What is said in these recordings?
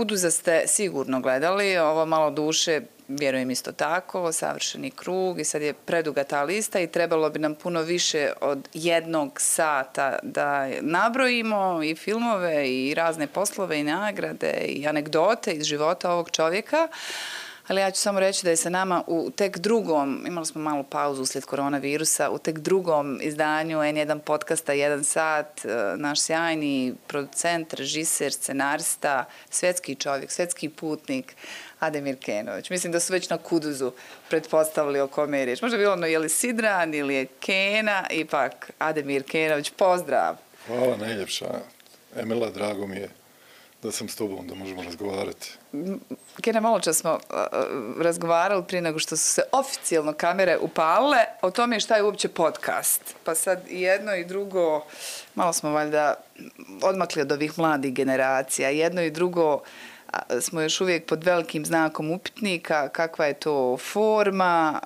Kuduza ste sigurno gledali, ovo Malo duše, vjerujem isto tako, Savršeni krug i sad je preduga ta lista i trebalo bi nam puno više od 1 sata da nabrojimo i filmove i razne poslove i nagrade i anegdote iz života ovog čovjeka. Ali ja ću samo reći da je sa nama u tek drugom, imali smo malu pauzu uslijed koronavirusa, u tek drugom izdanju N1 podcasta 1 sat, naš sjajni producent, režiser, scenarista, svjetski čovjek, svjetski putnik, Ademir Kenović. Mislim da su već na Kuduzu pretpostavili o kome je riječ. Možda je bilo ono je li Sidran ili je Kena, ipak Ademir Kenović, pozdrav. Hvala najljepša. Emila, drago mi je da sam s tobom, da možemo razgovarati. Kena, malo čas smo razgovarali prije nego što su se oficijalno kamere upalile o tome šta je uopće podcast. Pa sad i jedno i drugo, malo smo valjda odmakli od ovih mladih generacija. Jedno i drugo smo još uvijek pod velikim znakom upitnika, kakva je to forma,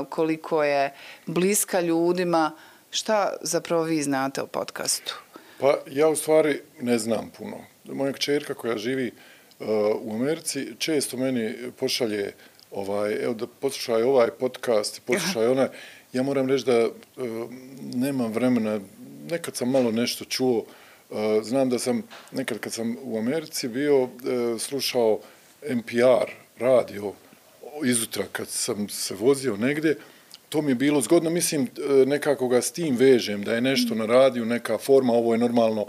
koliko je bliska ljudima. Šta zapravo vi znate o podcastu? Pa ja u stvari ne znam puno. Moja kćerka koja živi u Americi često meni pošalje evo da poslušaj ovaj podcast, poslušaj onaj. Ja moram reći da nemam vremena, nekad sam malo nešto čuo, znam da sam nekad kad sam u Americi bio slušao NPR radio izutra kad sam se vozio negdje, to mi je bilo zgodno, mislim nekako ga s tim vežem, da je nešto na radiju, neka forma, ovo je normalno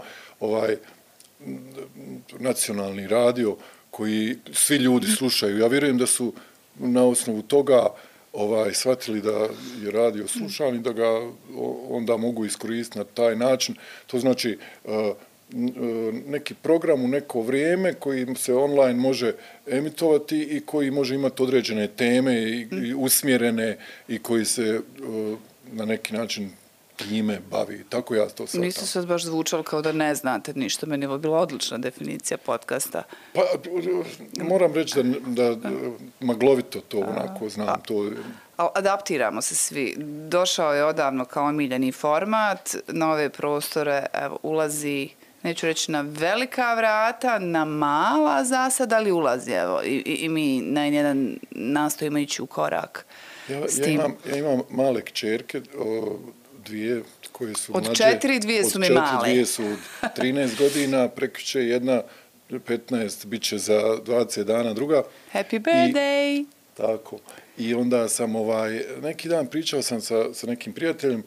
nacionalni radio koji svi ljudi slušaju. Ja vjerujem da su na osnovu toga shvatili da je radio slušan i da ga onda mogu iskoristiti na taj način. To znači neki program u neko vrijeme koji se online može emitovati i koji može imati određene teme i usmjerene i koji se na neki način time bavi. Tako ja to sad. Niste sad baš zvučali kao da ne znate ništa. Meni je bila odlična definicija podcasta. Pa, moram reći da maglovito to onako znam. Adaptiramo se svi. Došao je odavno kao omiljeni format. Na ove prostore ulazi, neću reći na velika vrata, na mala zasada, ali ulazi. I mi na jedan nastojimo ići u korak s tim. Ja imam male kćerke, dvije koje su od mlađe. Od 4, 2 su mi male. Dvije su 13 godina, prekjuče jedna 15, bit će za 20 dana druga. Happy birthday! Tako. I onda sam neki dan pričao sam sa nekim prijateljem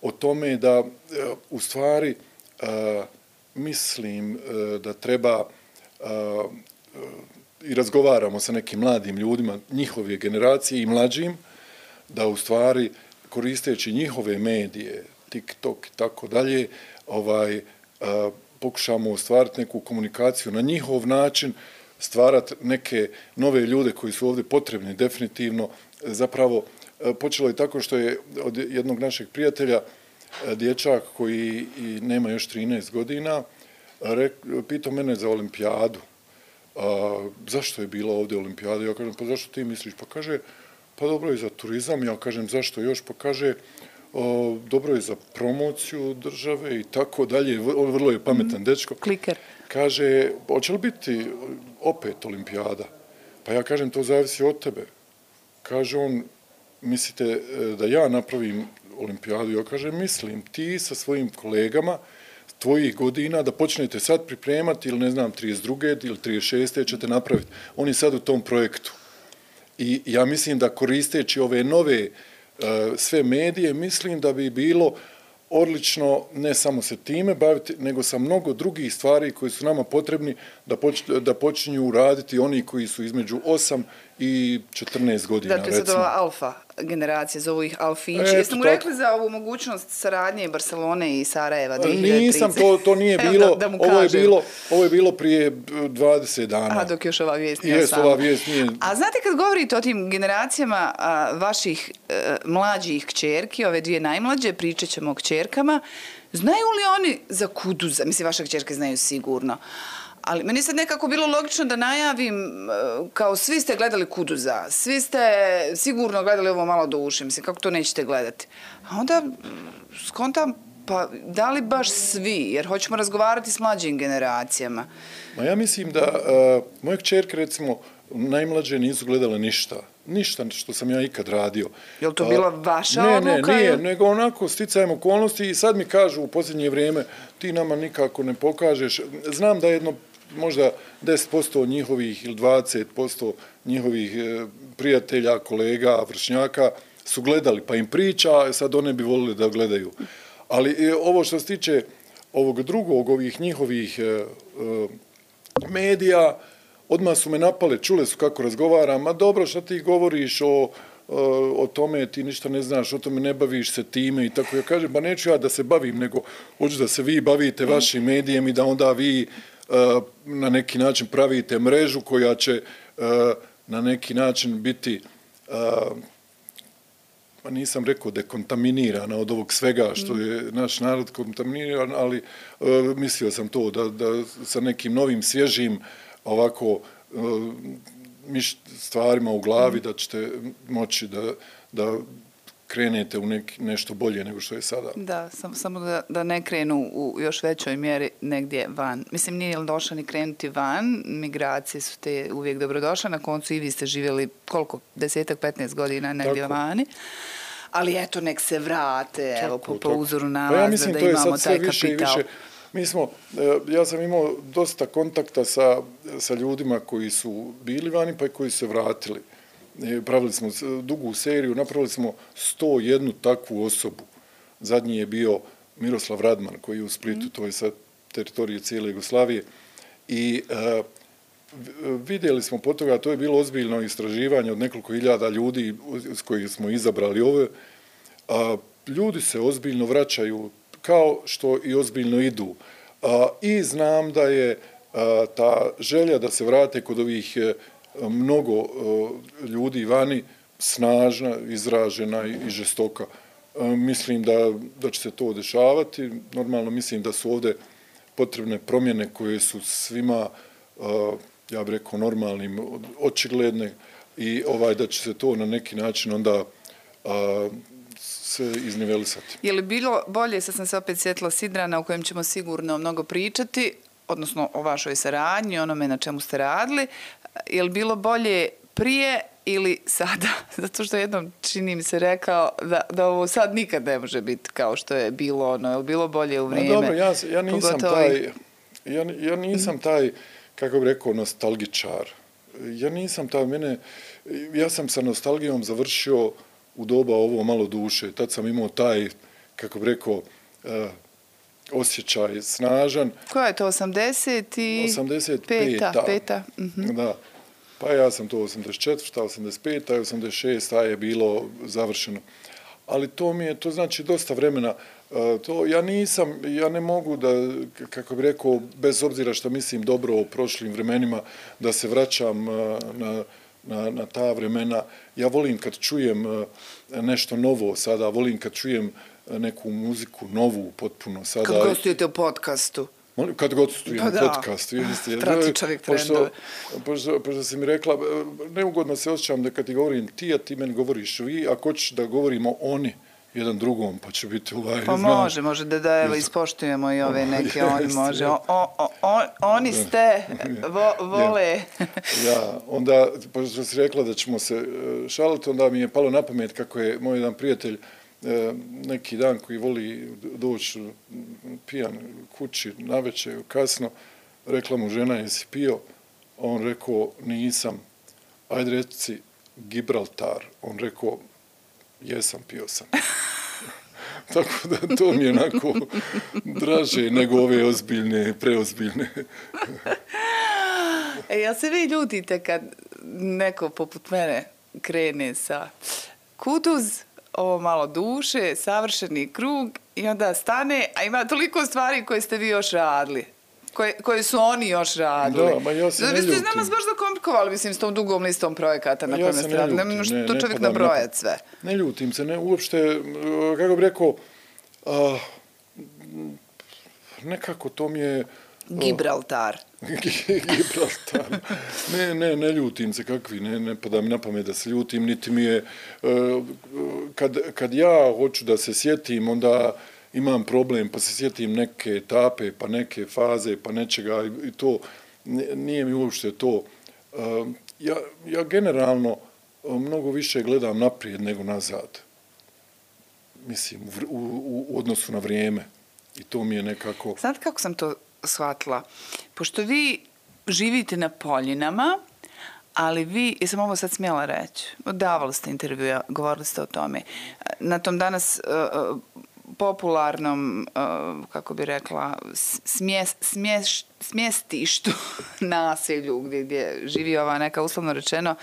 o tome da u stvari mislim da treba i razgovaramo sa nekim mladim ljudima njihove generacije i mlađim, da u stvari koristeći njihove medije, TikTok i tako dalje, pokušamo ostvariti neku komunikaciju na njihov način, stvarati neke nove ljude koji su ovdje potrebni definitivno. Zapravo počelo je tako što je od jednog našeg prijatelja dječak koji nema još 13 godina pitao mene za olimpijadu. Zašto je bila ovdje olimpijada? Ja kažem, pa zašto ti misliš? Pa kaže, pa dobro je za turizam. Ja kažem, zašto još? Pa kaže, dobro je za promociju države i tako dalje. On vrlo je pametan dečko. Kliker. Kaže, hoće li biti opet olimpijada? Pa ja kažem, to zavisi od tebe. Kaže on, mislite da ja napravim olimpijadu? Ja kažem, mislim, ti sa svojim kolegama tvojih godina da počnete sad pripremati ili ne znam 32. ili 36. ćete napraviti. On je sad u tom projektu. I ja mislim da koristeći ove nove sve medije, mislim da bi bilo odlično ne samo se time baviti, nego sa mnogo drugih stvari koji su nama potrebni da počinju raditi oni koji su između 8 i 14 godina. Dakle, sad ova alfa generacija, zovu ih alfići. Jeste mu rekli za ovu mogućnost saradnje Barcelone i Sarajeva? Nisam, to nije bilo. Ovo je bilo prije 20 dana. Dok još ova vijest nije sama. Ova vijest nije. A znate kad govorite o tim generacijama vaših mlađih kćerki, ove dvije najmlađe, pričat ćemo o kćerkama, znaju li oni za Kuduza? Mislim, vaše kćerke znaju sigurno. Ali meni sad nekako bilo logično da najavim, kao svi ste gledali Kuduza, svi ste sigurno gledali ovo Malo duše, mislim, kako to nećete gledati. A onda skontam, Pa da li baš svi? Jer hoćemo razgovarati s mlađim generacijama. Ma ja mislim da moja kćerka, recimo, najmlađe nisu gledale ništa. Ništa što sam ja ikad radio. Je li to bila vaša odluka? Ne, nije, nego onako sticajem okolnosti i sad mi kažu u posljednje vrijeme ti nama nikako ne pokažeš. Znam da jedno možda 10% njihovih ili 20% njihovih prijatelja, kolega, vršnjaka su gledali, pa im priča, sad one bi volili da gledaju. Ali ovo što se tiče ovog drugog, ovih njihovih medija, odmah su me napale, čule su kako razgovaram, a dobro, šta ti govoriš o tome, ti ništa ne znaš, o tome ne baviš se time i tako. Ja kažem, ba neću ja da se bavim, nego hoću da se vi bavite vašim medijem i da onda vi na neki način pravite mrežu koja će na neki način biti, nisam rekao dekontaminirana od ovog svega što je naš narod kontaminiran, ali mislio sam to da sa nekim novim, svježim ovako stvarima u glavi da ćete moći da krenete u nešto bolje nego što je sada. Da, samo da ne krenu u još većoj mjeri negdje van. Mislim, nije li došla ni krenuti van, migracije su te uvijek dobrodošle, na koncu i vi ste živjeli koliko, 10-15 godina negdje vani. Ali eto, nek se vrate, evo, po uzoru na vas, da imamo taj kapital. Mi smo, ja sam imao dosta kontakta sa ljudima koji su bili vani pa i koji su se vratili. Pravili smo dugu seriju, napravili smo 101 takvu osobu. Zadnji je bio Miroslav Radman koji je u Splitu, to je sa teritorije cijele Jugoslavije. I vidjeli smo po toga, to je bilo ozbiljno istraživanje od nekoliko hiljada ljudi s kojih smo izabrali ove. Ljudi se ozbiljno vraćaju kao što i ozbiljno idu. I znam da je ta želja da se vrate kod ovih mnogo ljudi vani snažna, izražena i žestoka. Mislim da će se to dešavati. Normalno mislim da su ovdje potrebne promjene koje su svima, ja bih rekao, normalnim, očigledne i da će se to na neki način onda se iznivelisati. Je li bilo bolje, sad sam se opet sjetila Sidrana, o kojem ćemo sigurno mnogo pričati, odnosno o vašoj saradnji, onome na čemu ste radili, je li bilo bolje prije ili sada? Zato što jednom čini mi se rekao da ovo sad nikad ne može biti kao što je bilo ono, je li bilo bolje u vrijeme? Dobro, ja nisam taj, kako bih rekao, nostalgičar. Ja nisam taj, ja sam sa nostalgijom završio u doba ovo malo duše. Tad sam imao taj, kako bih rekao, osjećaj snažan. Koja je to, 85. Da. Pa ja sam to 84. 85. i 86. je bilo završeno. Ali to znači dosta vremena. Ja ne mogu da, kako bih rekao, bez obzira što mislim dobro o prošlim vremenima, da se vraćam na ta vremena. Ja volim kad čujem nešto novo sada, volim kad čujem neku muziku novu potpuno sada. Kad gostujete u podcastu? Kad gostujem u podcastu. Prati čovjek trendove. Pošto si mi rekla, neugodno se osjećam da kad ti govorim ti, a ti meni govoriš vi, ako hoćeš da govorimo oni jedan drugom, pa će biti Pa može da evo ispoštujemo i ove neke, oni može. Oni ste, vole. Ja, onda, pošto si rekla da ćemo se šaliti, onda mi je palo na pamet kako je moj jedan prijatelj neki dan koji voli doći pijan kući navečer kasno, rekla mu žena, jesi pio? On rekao, nisam. Ajde reci Gibraltar. On rekao, jesam, pio sam. Tako da to mi je onako draže nego ove ozbiljne, preozbiljne. Jel se vi ljutite kad neko poput mene krene sa Kutuz, ovo malo duše, savršeni krug i onda stane, a ima toliko stvari koje ste vi još radili, koje su oni još radili. Da, ma ja se ne ljutim. Vi ste nas baš zakomplikovali, mislim, s tom dugom listom projekata na kojem ste radili. Ne možete to čovjek nabrojati sve. Ne ljutim se, uopšte, kako bih rekao, nekako to mi je... Gibraltar. Gibraltar. Ne ljutim se kakvi, ne pada mi na pamet da se ljutim, niti mi je, kad ja hoću da se sjetim, onda imam problem, pa se sjetim neke etape, pa neke faze, pa nečega i to, nije mi uopšte to. Ja generalno mnogo više gledam naprijed nego nazad. Mislim, u odnosu na vrijeme. I to mi je nekako... Znate kako sam to shvatila? Pošto vi živite na Poljinama, ali vi, jesam ovo sad smjela reći, davali ste intervjua, govorili ste o tome, na tom danas popularnom, kako bi rekla, smjestištu naselju gdje živi ova neka uslovno rečeno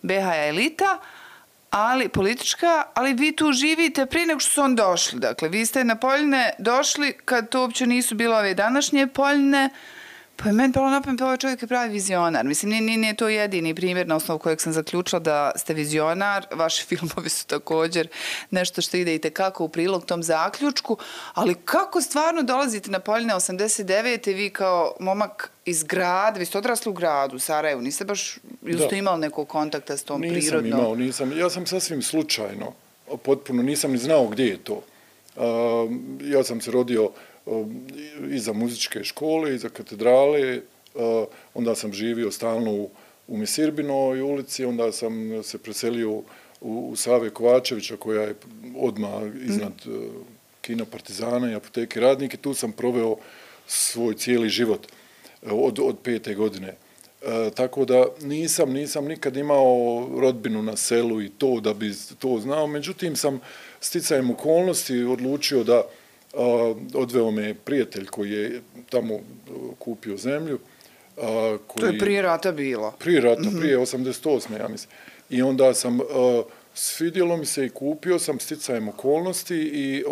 BH elita, ali politička, ali vi tu živite prije nego što su on došli. Dakle, vi ste na Poljine došli kad to uopće nisu bile ove današnje Poljine, pa je meni palo na pamet, ovaj čovjek je pravi vizionar. Mislim, nije to jedini primjer na osnovu kojeg sam zaključila da ste vizionar. Vaši filmovi su također nešto što ide i tekako u prilog tom zaključku, ali kako stvarno dolazite na Poljine 89. vi kao momak iz grada, vi ste odrasli u gradu, u Sarajevu, niste baš, ili ste imali nekog kontakta s tom prirodnom? Nisam. Ja sam sasvim slučajno, potpuno nisam ni znao gdje je to. Ja sam se rodio iza muzičke škole, iza katedrale, onda sam živio stalno u Misirbinoj ulici, onda sam se preselio u Save Kovačevića, koja je odmah iznad kina Partizana i apoteke Radnik, i tu sam proveo svoj cijeli život od 5. godine. Tako da nisam nikad imao rodbinu na selu i to da bi to znao, međutim sam sticajem okolnosti odlučio da odveo me prijatelj koji je tamo kupio zemlju. To je prije rata bilo? Prije rata, prije 88. ja mislim. I onda sam, svidjelo mi se i kupio sam sticajem okolnosti i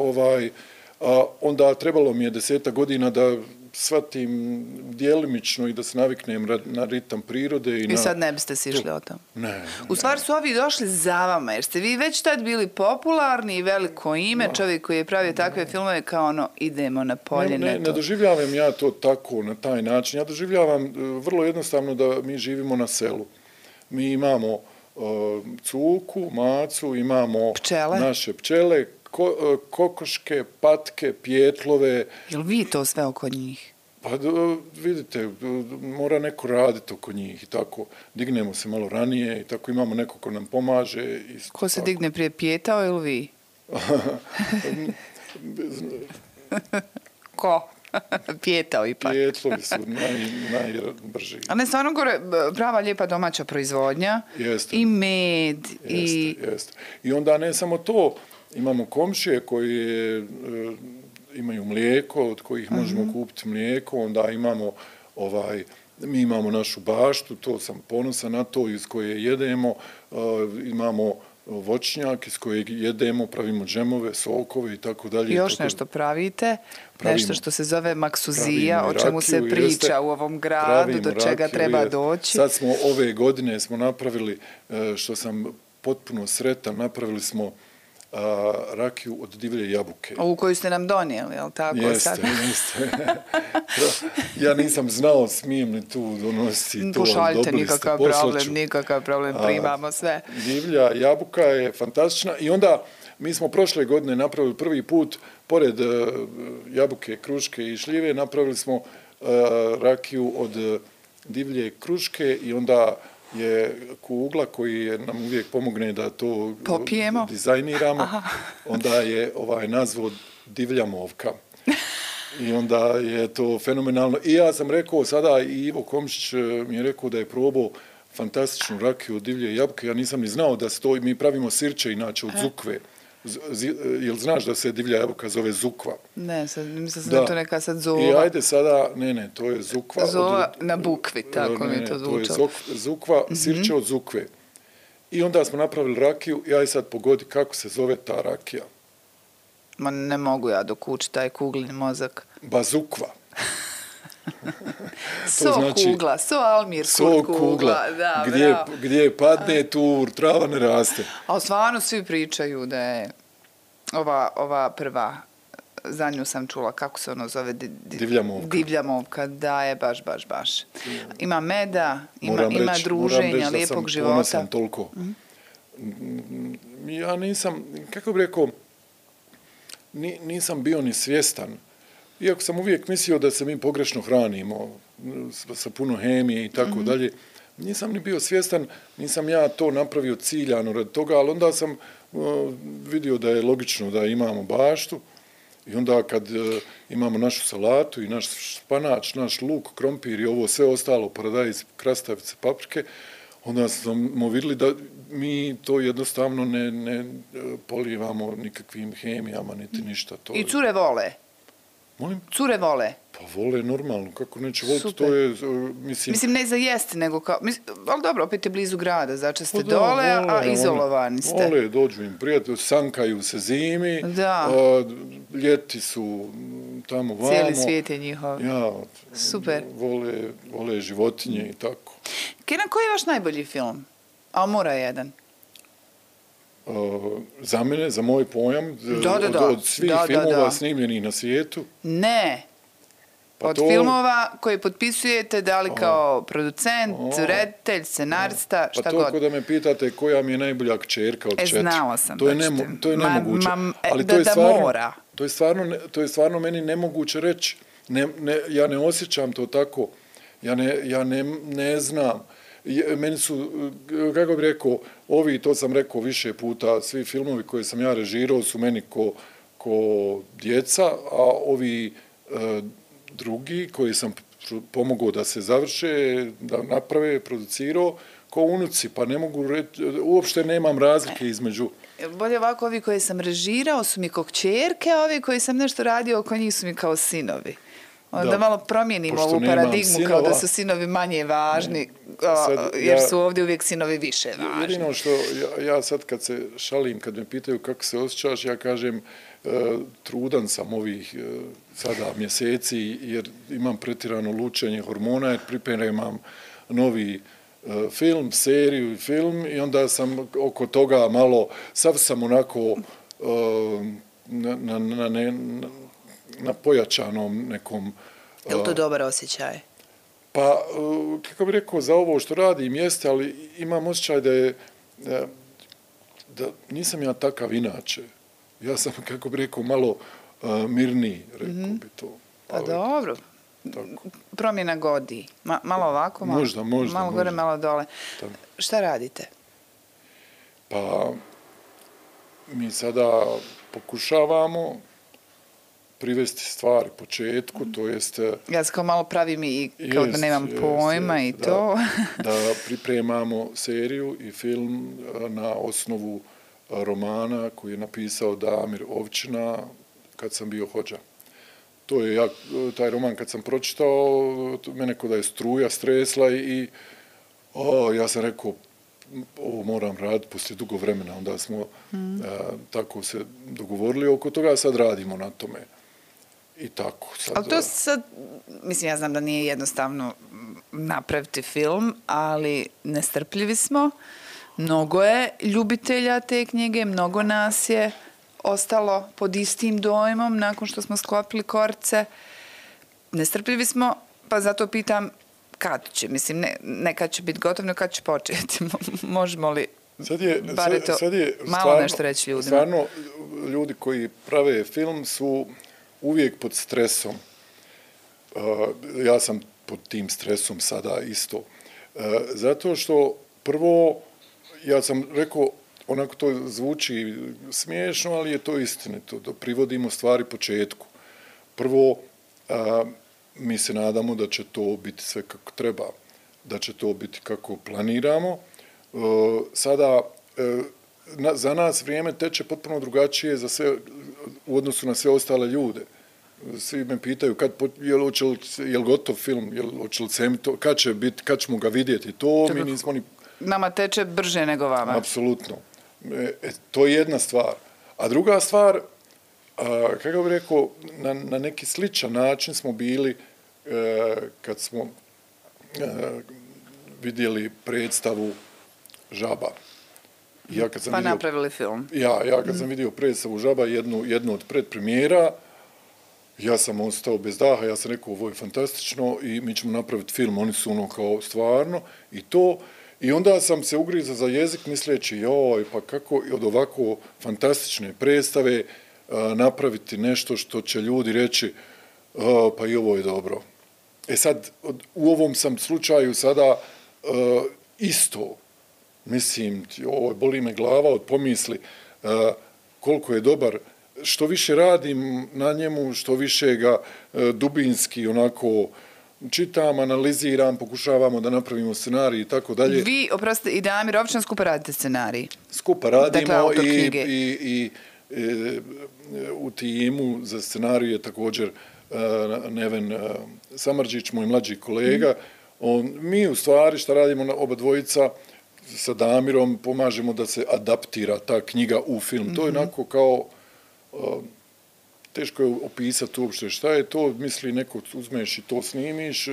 onda trebalo mi je 10 godina da shvatim djelimično i da se naviknem na ritam prirode. I sad ne biste si išli o tom? Ne. U stvari su ovi došli za vama, jer ste vi već tad bili popularni i veliko ime, čovjek koji je pravio takve filmove kao ono, idemo na Poljine. Ne doživljavam ja to tako, na taj način. Ja doživljavam vrlo jednostavno da mi živimo na selu. Mi imamo cuku, macu, imamo naše pčele, kokoške, patke, pjetlove. Jel vi to sve oko njih? Pa vidite, mora neko raditi oko njih i tako. Dignemo se malo ranije i tako imamo neko ko nam pomaže. Ko se digne prije, Pjetao ili vi? Ko? Pjetao ipak. Pjetlovi su najbrži. A ne, stvarno gore prava lijepa domaća proizvodnja. Jeste. I med. Jeste. I onda ne samo to, imamo komšije koji imaju mlijeko, od kojih možemo kupiti mlijeko, onda imamo mi imamo našu baštu, to sam ponosan na to, iz koje jedemo, imamo voćnjak iz kojeg jedemo, pravimo džemove, sokove i tako dalje. I još nešto pravite, nešto što se zove maksuzija, o čemu se priča u ovom gradu, do čega treba doći. Sad smo ove godine napravili, što sam potpuno sretan, napravili smo rakiju od divlje jabuke. Ovu koju ste nam donijeli, je li tako? Jeste. Ja nisam znao, smijem li tu donositi to. Pošaljite, nikakav problem, primamo sve. Divlja jabuka je fantastična i onda mi smo prošle godine napravili prvi put, pored jabuke, kruške i šljive, napravili smo rakiju od divlje kruške i onda je Kugla koji nam uvijek pomogne da to popijemo, dizajniramo. Onda je nazvao Divlja movka. I onda je to fenomenalno. I ja sam rekao sada, i Ivo Komšić mi je rekao da je probao fantastičnu rakiju od divlje jabuke. Ja nisam ni znao da se to, mi pravimo sirće inače od zukve. Jel znaš da se divlja jabuka zove zukva? Ne, mislim sam da to neka sad zova. I ajde sada, ne, to je zukva. Zova na bukvi, tako mi je to zvučalo. To je zukva, sirće od zukve. I onda smo napravili rakiju i aj sad pogodi kako se zove ta rakija. Ma ne mogu ja dok uči taj kuglin mozak. Bazukva. Kugla, Almir kugla. Da, gdje padne tu trava ne raste. Ali stvarno svi pričaju da je ova prva, za nju sam čula, kako se ono zove? Divlja movka, da je baš. Ima meda, ima druženja, lijepog života. Moram reći da sam ponosan toliko. Ja nisam, kako bih rekao, nisam bio ni svjestan. Iako sam uvijek mislio da se mi pogrešno hranimo, sa puno hemije i tako dalje, nisam ni bio svjestan, nisam ja to napravio ciljano radi toga, ali onda sam vidio da je logično da imamo baštu i onda kad imamo našu salatu i naš španač, naš luk, krompir i ovo sve ostalo, paradajz, krastavice, paprike, onda smo vidjeli da mi to jednostavno ne polivamo nikakvim hemijama, niti ništa. To I cure vole? Molim? Cure vole? Pa vole normalno, kako neće voliti, Super. to je, mislim ne za jesti, nego kao, ali dobro, opet je blizu grada, znači ste dole, a izolovani ste. Vole, dođu im prijatelji, sankaju se zimi, ljeti su tamo vamo. Cijeli svijet je njihov. Ja, super. Vole životinje i tako. Kenan, koji je vaš najbolji film? A mora jedan. Za mene, za moj pojam, od svih filmova snimljenih na svijetu. Ne. Pa od filmova koje potpisujete, da li kao producent, reditelj, scenarista, šta god. Pa to ako da me pitate koja mi je najbolja kćerka od 4. Znala sam. To je nemoguće. Ali to je stvarno meni nemoguće reći. Ja ne osjećam to tako. Ja ne znam. Meni su, kako bih rekao, to sam rekao više puta, svi filmovi koje sam ja režirao su meni ko djeca, a ovi drugi koji sam pomogao da se završe, da naprave, producirao, ko unuci, pa ne mogu reći, uopšte nemam razlike između. Bolje ovako, ovi koje sam režirao su mi kao kćerke, a ovi koji sam nešto radio oko njih su mi kao sinovi. Da malo promijenimo ovu paradigmu kao da su sinovi manje važni, jer su ovdje uvijek sinovi više važni. Jedino što ja sad kad se šalim, kad me pitaju kako se osjećaš, ja kažem trudan sam ovih sada mjeseci jer imam pretjerano lučenje hormona jer pripremam novi film, seriju i film i onda sam oko toga malo, sav sam onako na pojačanom nekom... Je li to dobar osjećaj? Pa, kako bih rekao, za ovo što radim jeste, ali imam osjećaj da nisam ja takav inače. Ja sam, kako bih rekao, malo mirniji, rekao bi to. Pa dobro. Promjena godi. Malo ovako, malo gore, malo dole. Šta radite? Pa, mi sada pokušavamo privesti stvari početku, to jest... Ja se kao malo pravim i kao da nemam pojma i to. Da pripremamo seriju i film na osnovu romana koji je napisao Damir Ovčina kad sam bio hođa. To je taj roman kad sam pročitao, mene ko da je struja stresla i ja sam rekao ovo moram raditi poslije dugo vremena, onda smo tako se dogovorili oko toga, sad radimo na tome. I tako. Ali to sad, mislim, ja znam da nije jednostavno napraviti film, ali nestrpljivi smo. Mnogo je ljubitelja te knjige, mnogo nas je ostalo pod istim dojmom nakon što smo sklopili korce. Nestrpljivi smo, pa zato pitam kad će, mislim, ne kad će biti gotovno, kad će početi. Možemo li bar to malo nešto reći ljudima? Stvarno, ljudi koji prave film su uvijek pod stresom. Ja sam pod tim stresom sada isto. Zato što prvo, ja sam rekao, onako to zvuči smiješno, ali je to istinito, da privodimo stvari početku. Prvo, mi se nadamo da će to biti sve kako treba, da će to biti kako planiramo. Sada, za nas vrijeme teče potpuno drugačije u odnosu na sve ostale ljude. Svi me pitaju je li gotov film, kad ćemo ga vidjeti. To mi nismo ni... Nama teče brže nego vama. Apsolutno. To je jedna stvar. A druga stvar, kako bih rekao, na neki sličan način smo bili kad smo vidjeli predstavu Žaba. Pa napravili film. Ja kad sam vidio predstavu Žaba, jednu od predpremijera, ja sam ostao bez daha, ja sam rekao ovo je fantastično i mi ćemo napraviti film, oni su ono kao stvarno i to. I onda sam se ugrizao za jezik misleći joj, pa kako od ovako fantastične predstave napraviti nešto što će ljudi reći pa i ovo je dobro. E sad, u ovom sam slučaju sada isto, mislim, ovo boli me glava od pomisli koliko je dobar. Što više radim na njemu, što više ga dubinski onako čitam, analiziram, pokušavamo da napravimo scenarij i tako dalje. Vi, oprostite, i Damir Ovčan skupa radite scenarij? Skupa radimo, dakle, autor knjige. I u timu za scenarij je također Neven Samardžić, moj mlađi kolega. Mi u stvari šta radimo oba dvojica sa Damirom, pomažemo da se adaptira ta knjiga u film. To je onako kao, teško je opisati uopšte šta je to, misli neko uzmeš i to snimiš,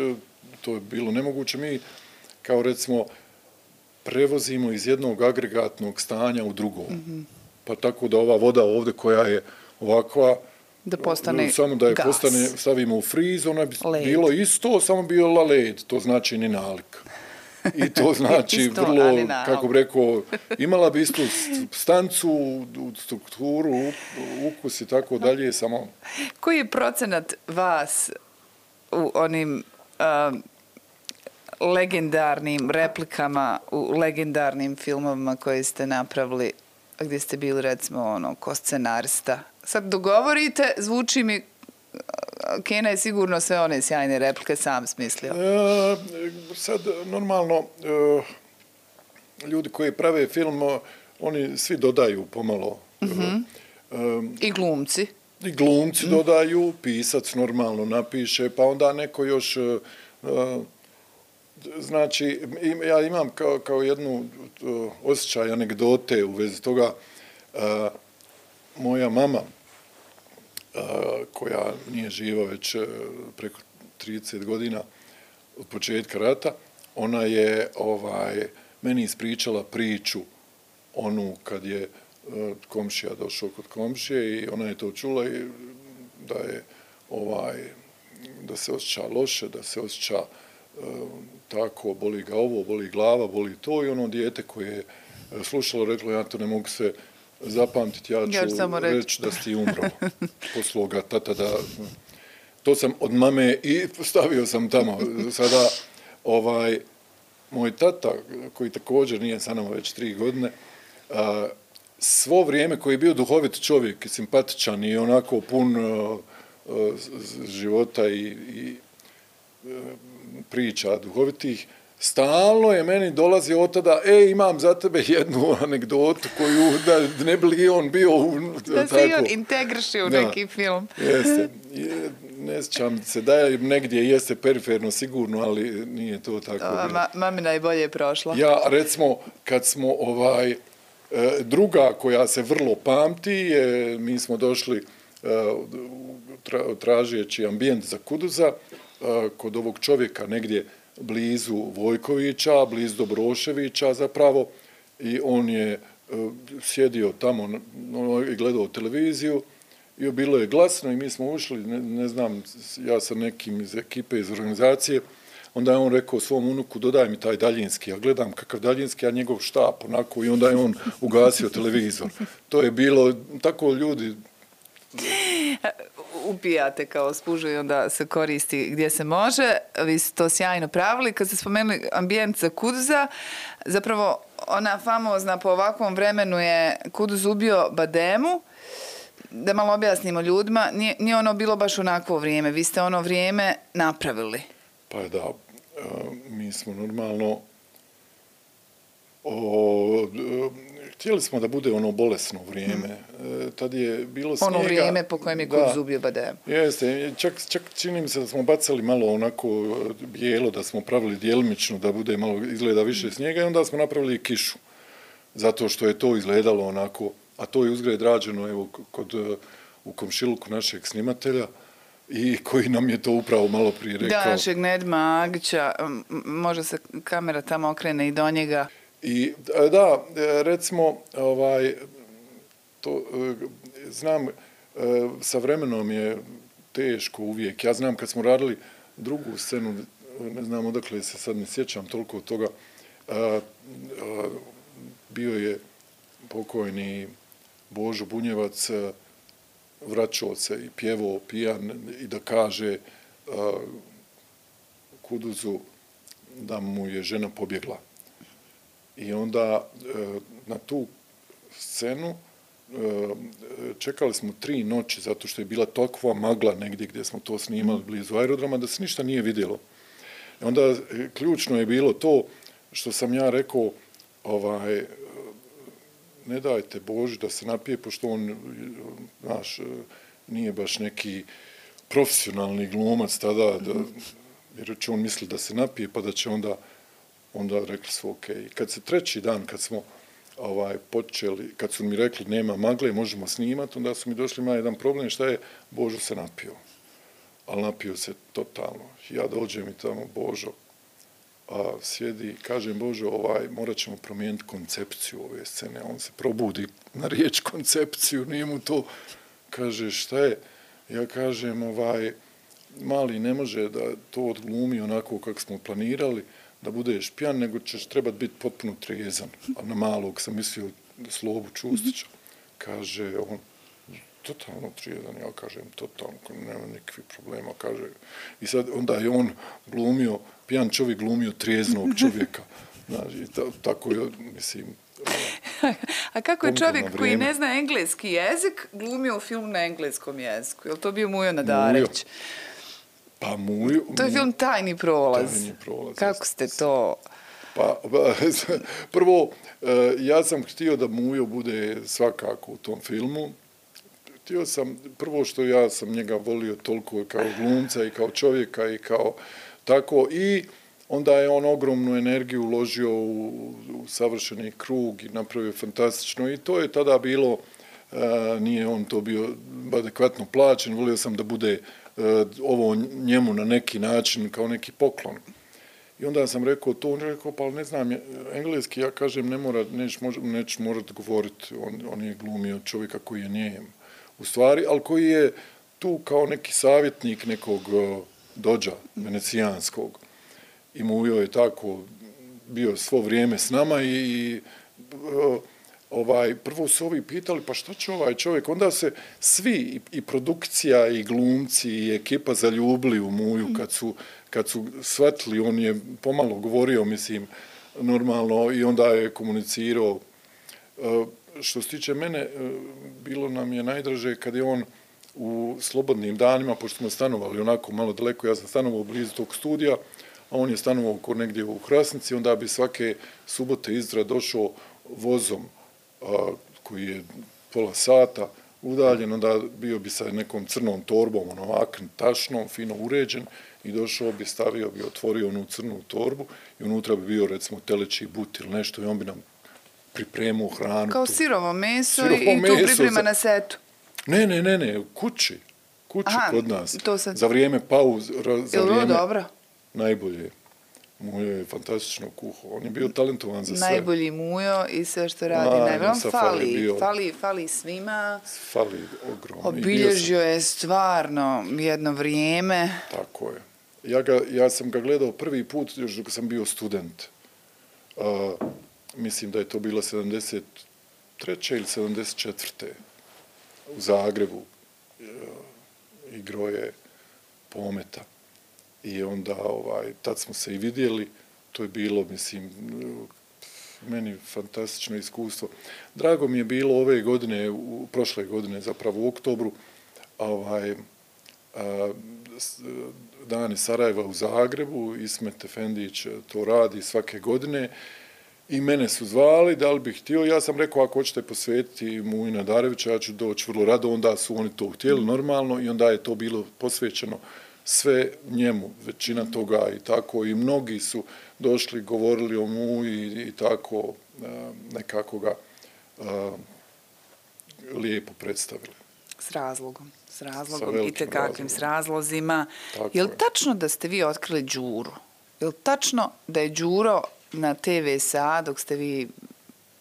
to je bilo nemoguće. Mi, kao recimo, prevozimo iz jednog agregatnog stanja u drugo. Pa tako da ova voda ovdje koja je ovakva, da postane samo da je gas. postane, stavimo u friz, ona bi led. bilo isto, samo bila led, to znači ni nalik. I to znači isto, vrlo, kako bi rekao, imala bi istu stancu, strukturu, ukus i tako dalje, samo... Koji je procenat vas u onim legendarnim replikama, u legendarnim filmovima koje ste napravili, gdje ste bili, recimo, ono, ko scenarista? Sad dogovorite, zvuči mi, Kena je sigurno sve one sjajne replike sam smislio. Sad, normalno, ljudi koji prave film, oni svi dodaju pomalo. I glumci. I glumci dodaju, pisac normalno napiše, pa onda neko još... Znači, ja imam kao jednu osjećaj anegdote u vezi toga. Moja mama, koja nije živa već preko 30 godina od početka rata, ona je meni ispričala priču onu kad je komšija došao kod komšije i ona je to čula i da je da se osjeća loše, da se osjeća tako, boli ga ovo, boli glava, boli to i ono dijete koje je slušalo reklo ja to ne mogu se zapamtiti, ja ću reći da si ti umro. Poslao ga tata da... To sam od mame i stavio sam tamo. Sada, moj tata, koji također nije sa nama već 3 godine, svo vrijeme koji je bio duhovit čovjek i simpatičan i onako pun života i priča duhovitih, stalno je meni dolazio od tada, imam za tebe jednu anegdotu koju, da ne bi li on bio... Da se i on integriše u neki film. Jeste. Ne sjećam se da je negdje jeste periferno sigurno, ali nije to tako. Mami najbolje je prošla. Ja, recimo, kad smo druga koja se vrlo pamti, mi smo došli tražeći ambijent za Kuduza, kod ovog čovjeka negdje blizu Vojkovića, blizu Dobroševića zapravo, i on je sjedio tamo i gledao televiziju i bilo je glasno i mi smo ušli, ne znam, ja sam nekim iz ekipe, iz organizacije, onda je on rekao svom unuku dodaj mi taj daljinski, ja gledam kakav daljinski, a njegov štap onako i onda je on ugasio televizor. To je bilo, tako ljudi... Upijate kao spužu i onda se koristi gdje se može. Vi ste to sjajno pravili. Kad ste spomenuli ambijent za Kuduza, zapravo ona famozna po ovakvom vremenu je Kuduz ubio Bademu. Da malo objasnimo ljudima, nije ono bilo baš onakvo vrijeme. Vi ste ono vrijeme napravili. Pa da, mi smo normalno htjeli smo da bude ono bolesno vrijeme. Tad je bilo snijega. Ono vrijeme po kojem je Kuduz ubio Bademu. Jeste, čak čini mi se da smo bacali malo onako bijelo, da smo pravili djelimično da bude malo izgleda više snijega i onda smo napravili kišu. Zato što je to izgledalo onako, a to je uzgred rađeno evo u komšiluku našeg snimatelja i koji nam je to upravo malo prije rekao. Da, našeg Nedma Agića, može se kamera tamo okrene i do njega. I da, recimo, to znam, sa vremenom je teško uvijek. Ja znam kad smo radili drugu scenu, ne znam odakle se sad ne sjećam toliko od toga, bio je pokojni Božo Bunjevac vraćao se i pjevao pijan i da kaže Kuduzu da mu je žena pobjegla. I onda na tu scenu čekali smo 3 noći zato što je bila takva magla negdje gdje smo to snimali blizu aerodroma da se ništa nije vidjelo. I onda ključno je bilo to što sam ja rekao ne dajte Boži da se napije, pošto on, znaš, nije baš neki profesionalni glumac tada, jer će on misli da se napije, pa da će onda rekli su ok. Kad se 3. dan, kad smo počeli, kad su mi rekli nema magle, možemo snimati, onda su mi došli, ima jedan problem, šta je, Božo se napio. Ali napio se totalno. Ja dođem i tamo, Božo, sjedi i kažem, Božo, morat ćemo promijeniti koncepciju ove scene. On se probudi na riječ koncepciju, nije mu to, kaže, šta je? Ja kažem, mali ne može da to odglumi onako kako smo planirali, da budeš pijan, nego ćeš trebati biti potpuno trijezan. A na malog sam mislio Slobu Čustića. Kaže, on, totalno trijezan, ja kažem, totalno, nema nikakvih problema, kaže. I sad onda je on glumio, pijan čovjek glumio trijeznog čovjeka. Znači, tako je, mislim... A kako je čovjek koji ne zna engleski jezik glumio film na engleskom jeziku? Je li to bio Mujo Nadarević? Pa Mujo... To je film Tajni prolaz. Tajni prolaz. Kako ste to... Pa, prvo, ja sam htio da Mujo bude svakako u tom filmu. Htio sam, prvo što ja sam njega volio toliko kao glumca i kao čovjeka i kao tako, i onda je on ogromnu energiju uložio u savršeni krug i napravio fantastično i to je tada bilo, nije on to bio adekvatno plaćen, volio sam da bude ovo njemu na neki način kao neki poklon. I onda sam rekao to, on je rekao, pa ne znam, engleski, ja kažem, nećeš morat govoriti, on je glumio čovjeka koji je nijem u stvari, ali koji je tu kao neki savjetnik nekog dođa venecijanskog. I Mujo je tako bio svo vrijeme s nama i prvo su ovi pitali, pa šta će ovaj čovjek? Onda se svi, i produkcija, i glumci, i ekipa zaljubili u Muju kad su shvatili, on je pomalo govorio, mislim, normalno, i onda je komunicirao. Što se tiče mene, bilo nam je najdraže kad je on u slobodnim danima, pošto smo stanovali onako malo daleko, ja sam stanovao blizu tog studija, a on je stanovao negdje u Hrasnici, onda bi svake subote Izdra došao vozom koji je pola sata udaljen, onda bio bi sa nekom crnom torbom, ovakvim tašnom, fino uređen, i došao bi, stavio bi, otvorio onu crnu torbu i unutra bi bio, recimo, teleći but ili nešto i on bi nam pripremao hranu. Kao sirovo meso i tu priprema na setu? Ne, kući kod nas. Za vrijeme pauze, za vrijeme... dobro? Najbolje. Mujo je fantastično kuhao. On je bio talentovan za sve. Najbolji Mujo i sve što radi najbolje. Fali svima. Fali ogromno. Obilježio je stvarno jedno vrijeme. Tako je. Ja sam ga gledao prvi put još dok sam bio student. Mislim da je to bilo 73. ili 74. u Zagrebu. Igrao je Pometa. I onda, tad smo se i vidjeli, to je bilo, mislim, meni fantastično iskustvo. Drago mi je bilo ove godine, prošle godine, zapravo u oktobru, Dani Sarajeva u Zagrebu, Ismet Efendić to radi svake godine i mene su zvali, da li bih htio, ja sam rekao ako hoćete posvetiti Muju Nadarevića, ja ću doći vrlo rado, onda su oni to htjeli normalno i onda je to bilo posvećeno sve njemu, većina toga i tako, i mnogi su došli, govorili o Muji i tako, nekako ga lijepo predstavili. S razlogom i tekakvim s razlozima. Je li tačno da ste vi otkrili Đuru? Je li tačno da je Đuro na TV SA dok ste vi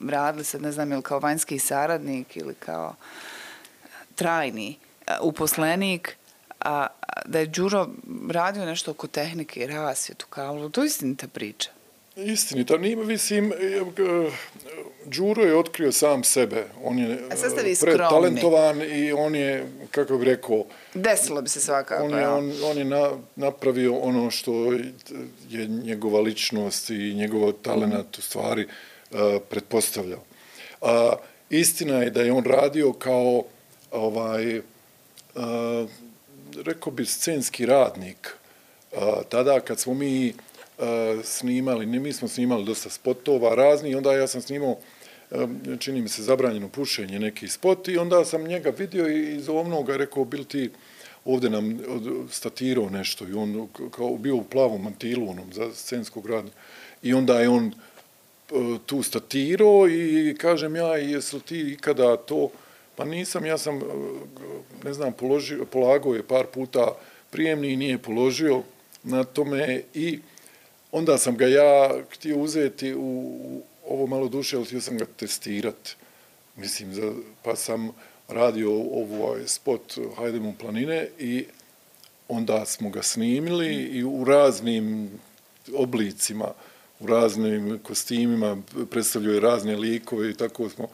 radili, sad ne znam, je li kao vanjski saradnik ili kao trajni uposlenik, a da je Đuro radio nešto oko tehnike i rasvjetu, kao, to je istinita priča? istinito. Mislim, Đuro je otkrio sam sebe. On je predtalentovan i on je, kako bih rekao... Desilo bi se svakako, on je napravio ono što je njegova ličnost i njegov talenat u stvari pretpostavljao. Istina je da je on radio kao rekao bi scenski radnik. Tada kad smo mi snimali, mi smo snimali dosta spotova razni i onda ja sam snimao, čini mi se, Zabranjeno pušenje, neki spot i onda sam njega vidio i iz ovnoga rekao, bil ti ovdje nam statirao nešto i on kao bio u plavom mantilu onom za scenskog radnika i onda je on tu statirao i kažem ja, jesi li ti ikada to, pa nisam, ja sam, ne znam, polagao je par puta prijemni i nije položio na tome i onda sam ga ja htio uzeti u ovo malo duše, ali htio sam ga testirati. Mislim, pa sam radio ovaj spot Hajdemo u planine i onda smo ga snimili i u raznim oblicima, u raznim kostimima, predstavljaju je razne likove i tako smo.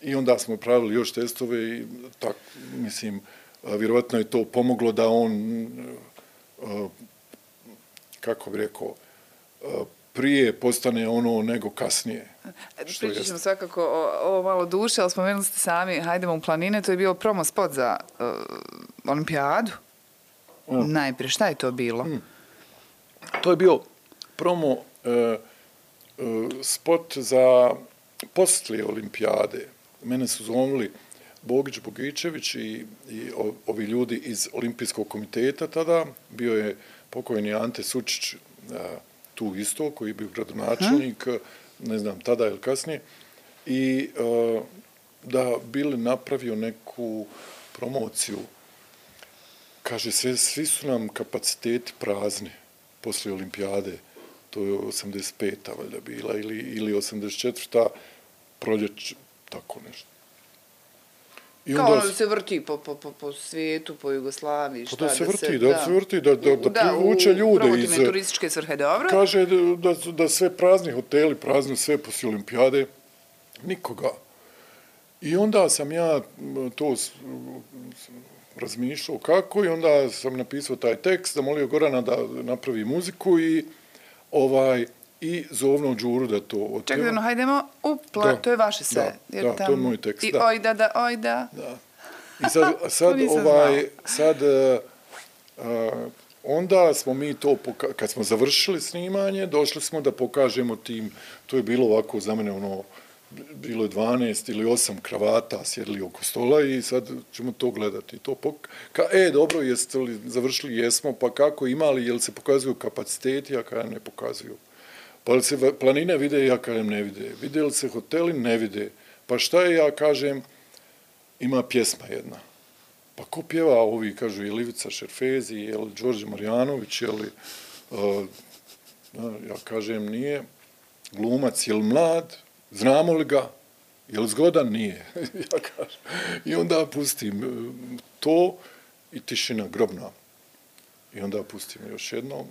I onda smo pravili još testove i tak, mislim, vjerovatno je to pomoglo da on, kako bi rekao, prije postane ono nego kasnije. Pričat ćemo svakako ovo malo duše, ali spomenuli ste sami Hajdemo u planine, to je bio promo spot za olimpijadu. Najprije, šta je to bilo? To je bio promo spot za poslije olimpijade. Mene su zovnuli Bogić, Bogičević i ovi ljudi iz Olimpijskog komiteta tada. Bio je pokojni Ante Sučić tu isto, koji je bio gradonačelnik, ne znam, tada ili kasnije. I da bili napravio neku promociju. Kaže, svi su nam kapaciteti prazni poslije olimpijade. To je 85. valjda bila ili 84. proljeć, tako nešto. Kao ono da se vrti po svijetu, po Jugoslaviji, šta da se vrti, da privuče ljude. Promotivne turističke svrhe, dobro. Kaže da sve prazni hoteli, prazno sve poslije olimpijade, nikoga. I onda sam ja to razmišljao kako i onda sam napisao taj tekst, zamolio Gorana da napravi muziku i zovno Đuru da to otpjeva. Čekaj, no, hajdemo, to je vaše sve. Da, to je moj tekst. I ojda. I sad, onda smo mi to, kad smo završili snimanje, došli smo da pokažemo tim, to je bilo ovako za mene bilo je 12 ili 8 kravata sjedili oko stola i sad ćemo to gledati. Dobro, jeste li završili? Jesmo, pa kako imali, jel se pokazuju kapaciteti, ja kažem ne pokazuju. Pa li se planine vide, ja kažem ne vide. Vide li se hoteli, ne vide. Pa šta je, ja kažem, ima pjesma jedna. Pa ko pjeva ovi, kažu, je li Ivica Šerfezi, je li Đorđe Marjanović, je li, ja kažem, nije, glumac, je li mlad, znamo li ga, je li zgodan, nije, ja kažem. I onda pustim to i tišina grobna. I onda pustim još jednom,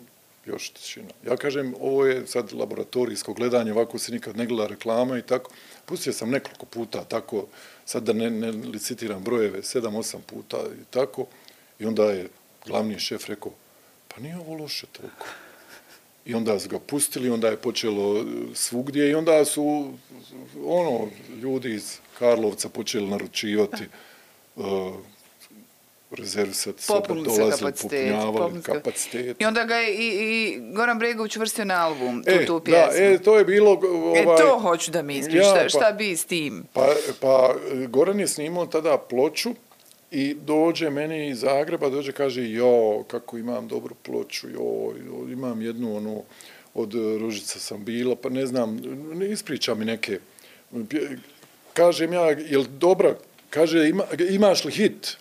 još tišina. Ja kažem, ovo je sad laboratorijsko gledanje, ovako se nikad ne gleda reklama i tako. Pustio sam nekoliko puta tako, sad da ne licitiram brojeve, 7-8 puta i tako. I onda je glavni šef rekao, pa nije ovo loše toliko. I onda su ga pustili, onda je počelo svugdje i onda su ljudi iz Karlovca počeli naručivati rezervisati sobe, dolazili, popunjavali kapacitet. I onda ga je i Goran Bregović uvrstio na album, tu pjesmu. Da, to je bilo... to hoću da mi ispriš, šta bi s tim? Pa Goran je snimao tada ploču i dođe meni iz Zagreba, kaže, kako imam dobru ploču, imam jednu, od Ružica sam bila, pa ne znam, ispriča mi neke. Kažem ja, jel dobra? Kaže, imaš li hit?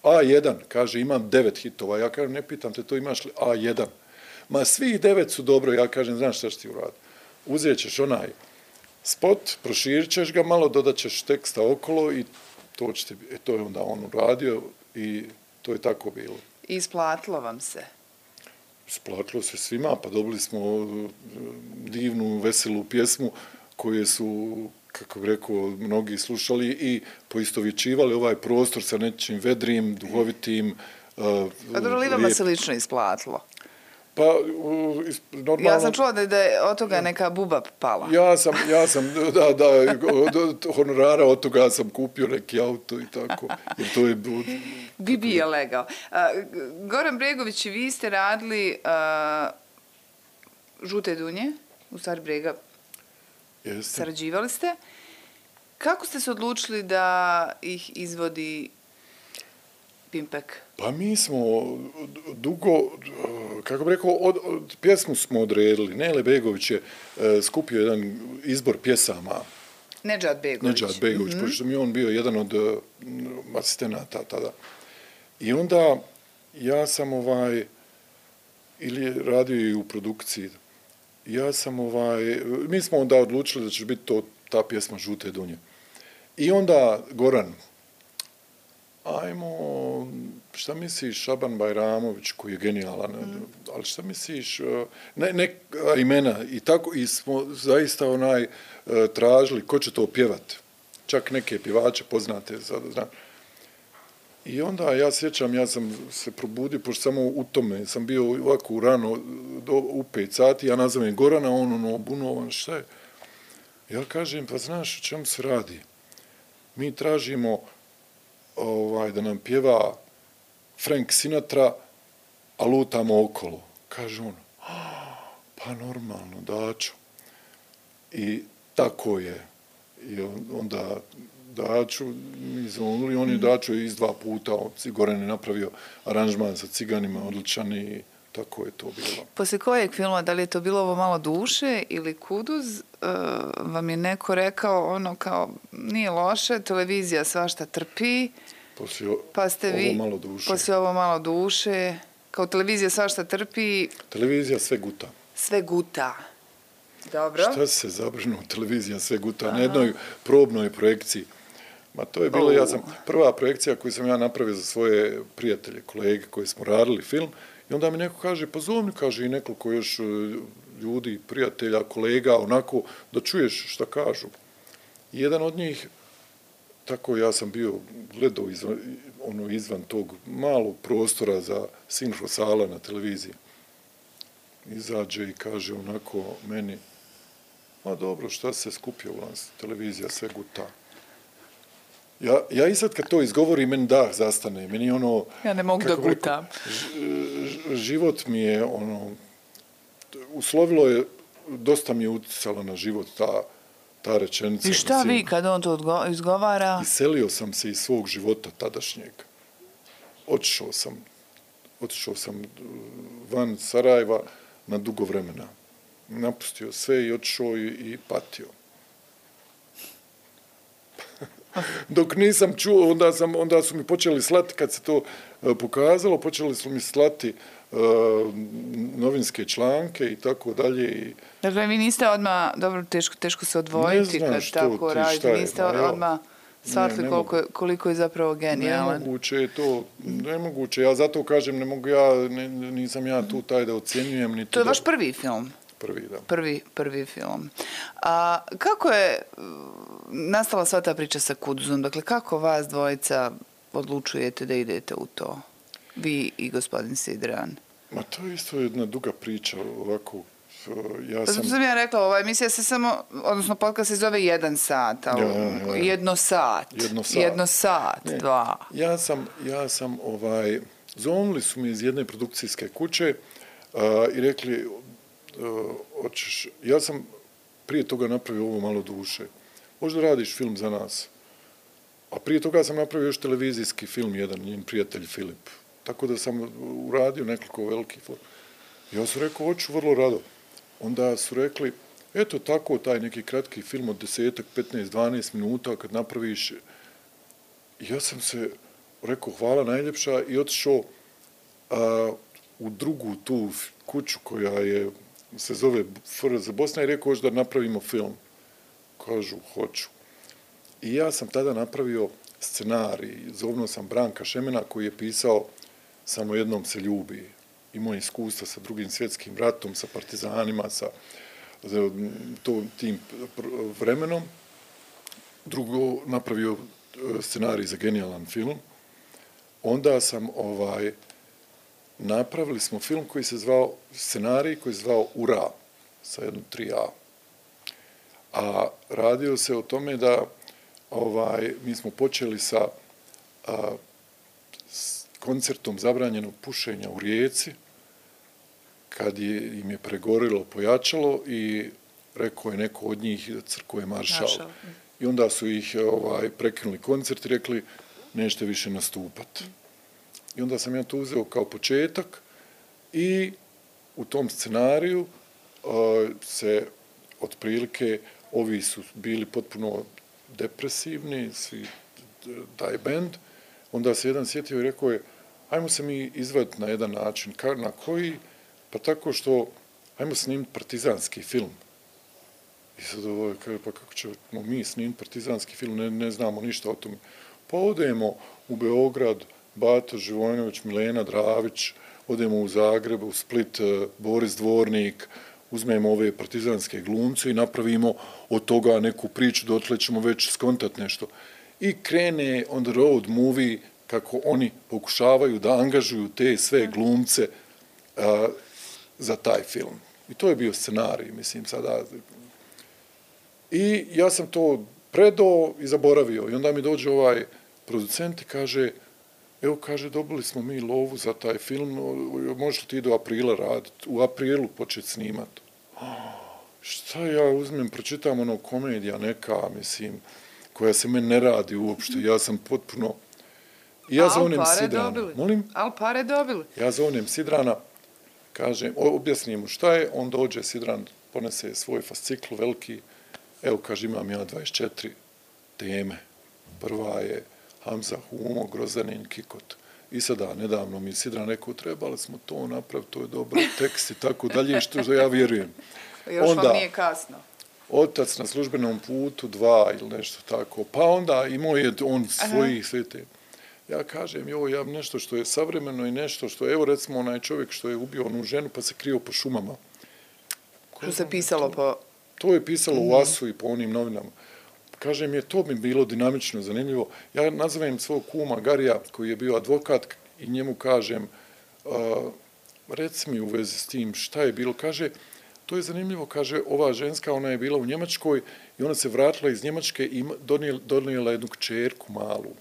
A1, kaže, imam 9 hitova. Ja kažem, ne pitam te to, imaš li A1? Ma svih 9 su dobro, ja kažem, znaš šta ćeš ti uraditi? Uzet ćeš onaj spot, proširit ćeš ga malo, dodat ćeš teksta okolo i to je onda on uradio i to je tako bilo. I isplatilo vam se? isplatilo se svima, pa dobili smo divnu, veselu pjesmu koje su, kako bih rekao, mnogi slušali i poistovjećivali ovaj prostor sa nečim vedrim, duhovitim, Pa dobro, li vama se lično isplatilo? Pa, normalno... Ja sam čula da je od toga neka buba pala. Ja sam, od honorara od toga sam kupio neki auto i tako. Jer to je... Bibi je legao. Goran Bregović, vi ste radili Žute dunje, u stvari Brega. Jeste. Sarađivali ste. Kako ste se odlučili da ih izvodi Pimpek? Pa mi smo dugo, kako bih rekao, pjesmu smo odredili. Nele Begović je skupio jedan izbor pjesama. Nedžad Begović. Pošto mi je on bio jedan od asistenata tada. I onda ja sam ili radio i u produkciji, ja sam mi smo onda odlučili da će biti ta pjesma Žute dunje. I onda Goran, šta misliš, Šaban Bajramović, koji je genijalan, ali šta misliš, neka imena i tako, i smo zaista tražili ko će to pjevat. Čak neke pjevače poznate, znam. I onda ja sjećam, ja sam se probudio, pošto samo u tome sam bio ovako rano, u 5 sati, ja nazovem Gorana, on obunovan, šta je? Ja kažem, pa znaš o čemu se radi? Mi tražimo da nam pjeva Frank Sinatra, a lutamo okolo. Kaže on, pa normalno, Dačo. I tako je. I onda Daču, mi zvonili, on je Dačo iz 2 puta, Goran je napravio aranžman sa Ciganima, odličan i tako je to bilo. Poslije kojeg filma, da li je to bilo ovo Malo duše ili Kuduz, vam je neko rekao kao nije loše, televizija svašta trpi, pa ste vi poslije ovo Malo duše, kao televizija svašta trpi. Televizija sve guta. Sve guta. Dobro. Šta se zabrinuo, televizija sve guta, na jednoj probnoj projekciji. Ma to je bilo, prva projekcija koju sam ja napravio za svoje prijatelje, kolege koji smo radili film. I onda mi neko kaže, pa zovni, kaže i nekoliko još ljudi, prijatelja, kolega, onako, da čuješ šta kažu. I jedan od njih, tako ja sam bio gledao izvan tog malog prostora za sinhrosala na televiziji. Izađe i kaže onako meni, ma dobro, šta se skupio u nas, televizija sve guta. Ja i sad kad to izgovorim, meni dah zastane, meni ja ne mogu da gutam. Život mi je uslovilo je, dosta mi je uticala na život ta rečenica. I šta vi kad on to izgovara? Iselio sam se iz svog života tadašnjeg. Otišao sam van Sarajeva na dugo vremena. Napustio sve i otišao i patio. Dok nisam čuo, onda su mi počeli slati, kad se to pokazalo, počeli su mi slati novinske članke i tako dalje. Dakle, vi niste odmah, dobro, teško se odvojiti kad tako radite, niste odmah shvatili koliko je zapravo genijalan. Nemoguće, ja zato kažem, nisam ja tu taj da ocjenjujem. To je vaš prvi film? Prvi, da. Prvi film. A kako je nastala sva ta priča sa Kuduzom? Dakle, kako vas dvojica odlučujete da idete u to? Vi i gospodin Sidran. Ma to je isto jedna duga priča, ovako. Sam ja rekla, ova emisija se samo, odnosno podcast se zove 1 sat, jedno sat, 2. Ja sam, zvonili su mi iz jedne produkcijske kuće i rekli, ja sam prije toga napravio ovo Malo duše. Možda radiš film za nas. A prije toga sam napravio još televizijski film, jedan njen prijatelj Filip. Tako da sam uradio nekoliko velikih film. Ja sam rekao, hoću vrlo rado. Onda su rekli, eto tako, taj neki kratki film od 10, 15, 12 minuta kad napraviš. Ja sam se rekao, hvala najljepša i otišao u drugu tu kuću koja se zove FRZ Bosna i rekao da napravimo film. Kažu, hoću. I ja sam tada napravio scenarij. Zovnuo sam Branka Šemena koji je pisao Samo jednom se ljubi. imao iskustva sa Drugim svjetskim ratom, sa partizanima, sa tim vremenom. Drugo, napravio scenarij za genijalan film. Onda sam napravili smo film koji se zvao, scenarij koji se zvao Ura, sa jednom 3A. A radio se o tome da mi smo počeli sa koncertom zabranjenog pušenja u Rijeci, kad im je pregorilo pojačalo i rekao je neko od njih crkvo je maršal. I onda su ih prekinuli koncert i rekli nećete više nastupati. I onda sam ja to uzeo kao početak i u tom scenariju se otprilike ovi su bili potpuno depresivni, svi taj bend. Onda se jedan sjetio i rekao je ajmo se mi izvaditi na jedan način. Na koji? Pa tako što ajmo snimiti partizanski film. I sad kaže, pa kako ćemo mi snimiti partizanski film, ne znamo ništa o tome. Pa odemo u Beograd, Bato Živojinović, Milena Dravić, odemo u Zagreb, u Split, Boris Dvornik, uzmemo ove partizanske glumce i napravimo od toga neku priču, dotle ćemo već skontati nešto. I krene on the road movie kako oni pokušavaju da angažuju te sve glumce za taj film. I to je bio scenarij, mislim, sada. I ja sam to predao i zaboravio. I onda mi dođe ovaj producent i kaže, evo, kaže, dobili smo mi lovu za taj film, možeš li ti do aprila raditi? U aprilu početi snimati. Šta ja uzmem, pročitam ono komedija neka, mislim, koja se meni ne radi uopšte. Ja sam potpuno... I ja zovnem Sidrana. Molim? Ali pare dobili. Ja zovnem Sidrana, kažem, objasnim mu šta je, on dođe, Sidran ponese svoj fascikl veliki, evo, kaže, imam ja 24 teme. Prva je Hamza, Humo, Grozanin, Kikot. I sada, nedavno mi Sidran rekao, trebali smo to napraviti, to je dobar tekst i tako dalje, što ja vjerujem. Još onda, vam nije kasno. Otac na službenom putu, 2 ili nešto tako. Pa onda imao je on svojih sve te. Ja kažem, ja nešto što je savremeno i nešto što je, evo recimo onaj čovjek što je ubio onu ženu pa se krio po šumama. Što se pisalo po... To je pisalo u Asu i po onim novinama. Kažem, to mi bilo dinamično, zanimljivo. Ja nazovem svog kuma Garija, koji je bio advokat, i njemu kažem, reci mi u vezi s tim šta je bilo. Kaže, to je zanimljivo, kaže, ova ženska, ona je bila u Njemačkoj i ona se vratila iz Njemačke i donijela jednu kćerku malu,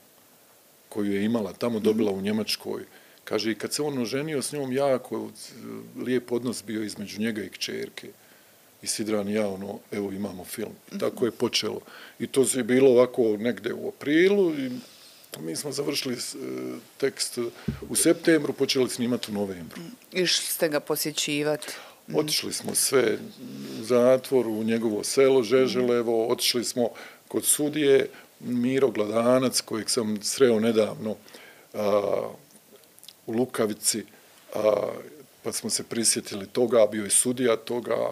koju je imala, tamo dobila u Njemačkoj. Kaže, i kad se on oženio s njom, jako lijep odnos bio između njega i kćerke. I Sidran i ja, evo, imamo film. I tako je počelo. I to je bilo ovako negde u aprilu i mi smo završili tekst u septembru, počeli snimati u novembru. Išli ste ga posjećivati? Otišli smo sve u zatvor, u njegovo selo Žeželevo, otišli smo kod sudije Miro Gladanac, kojeg sam sreo nedavno u Lukavici, pa smo se prisjetili toga, bio je sudija toga,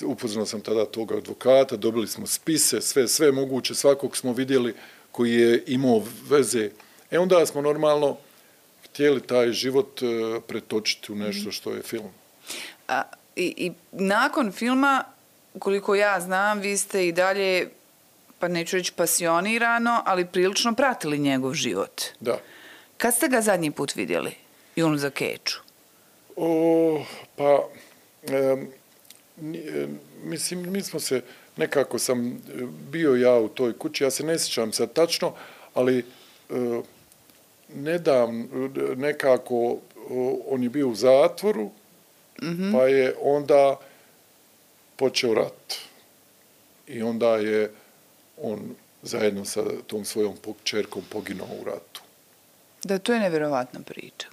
upoznao sam tada toga advokata, dobili smo spise, sve moguće, svakog smo vidjeli koji je imao veze. Onda smo normalno htjeli taj život pretočiti u nešto što je film. I nakon filma, koliko ja znam, vi ste i dalje, pa neću reći pasionirano, ali prilično pratili njegov život. Da. Kad ste ga zadnji put vidjeli? Junu za Keču? Mislim, mi smo se, nekako sam bio ja u toj kući, ja se ne sjećam sad tačno, ali nedavno nekako on je bio u zatvoru, pa je onda počeo rat. I onda je on zajedno sa tom svojom kćerkom poginuo u ratu. Da, to je nevjerovatna priča.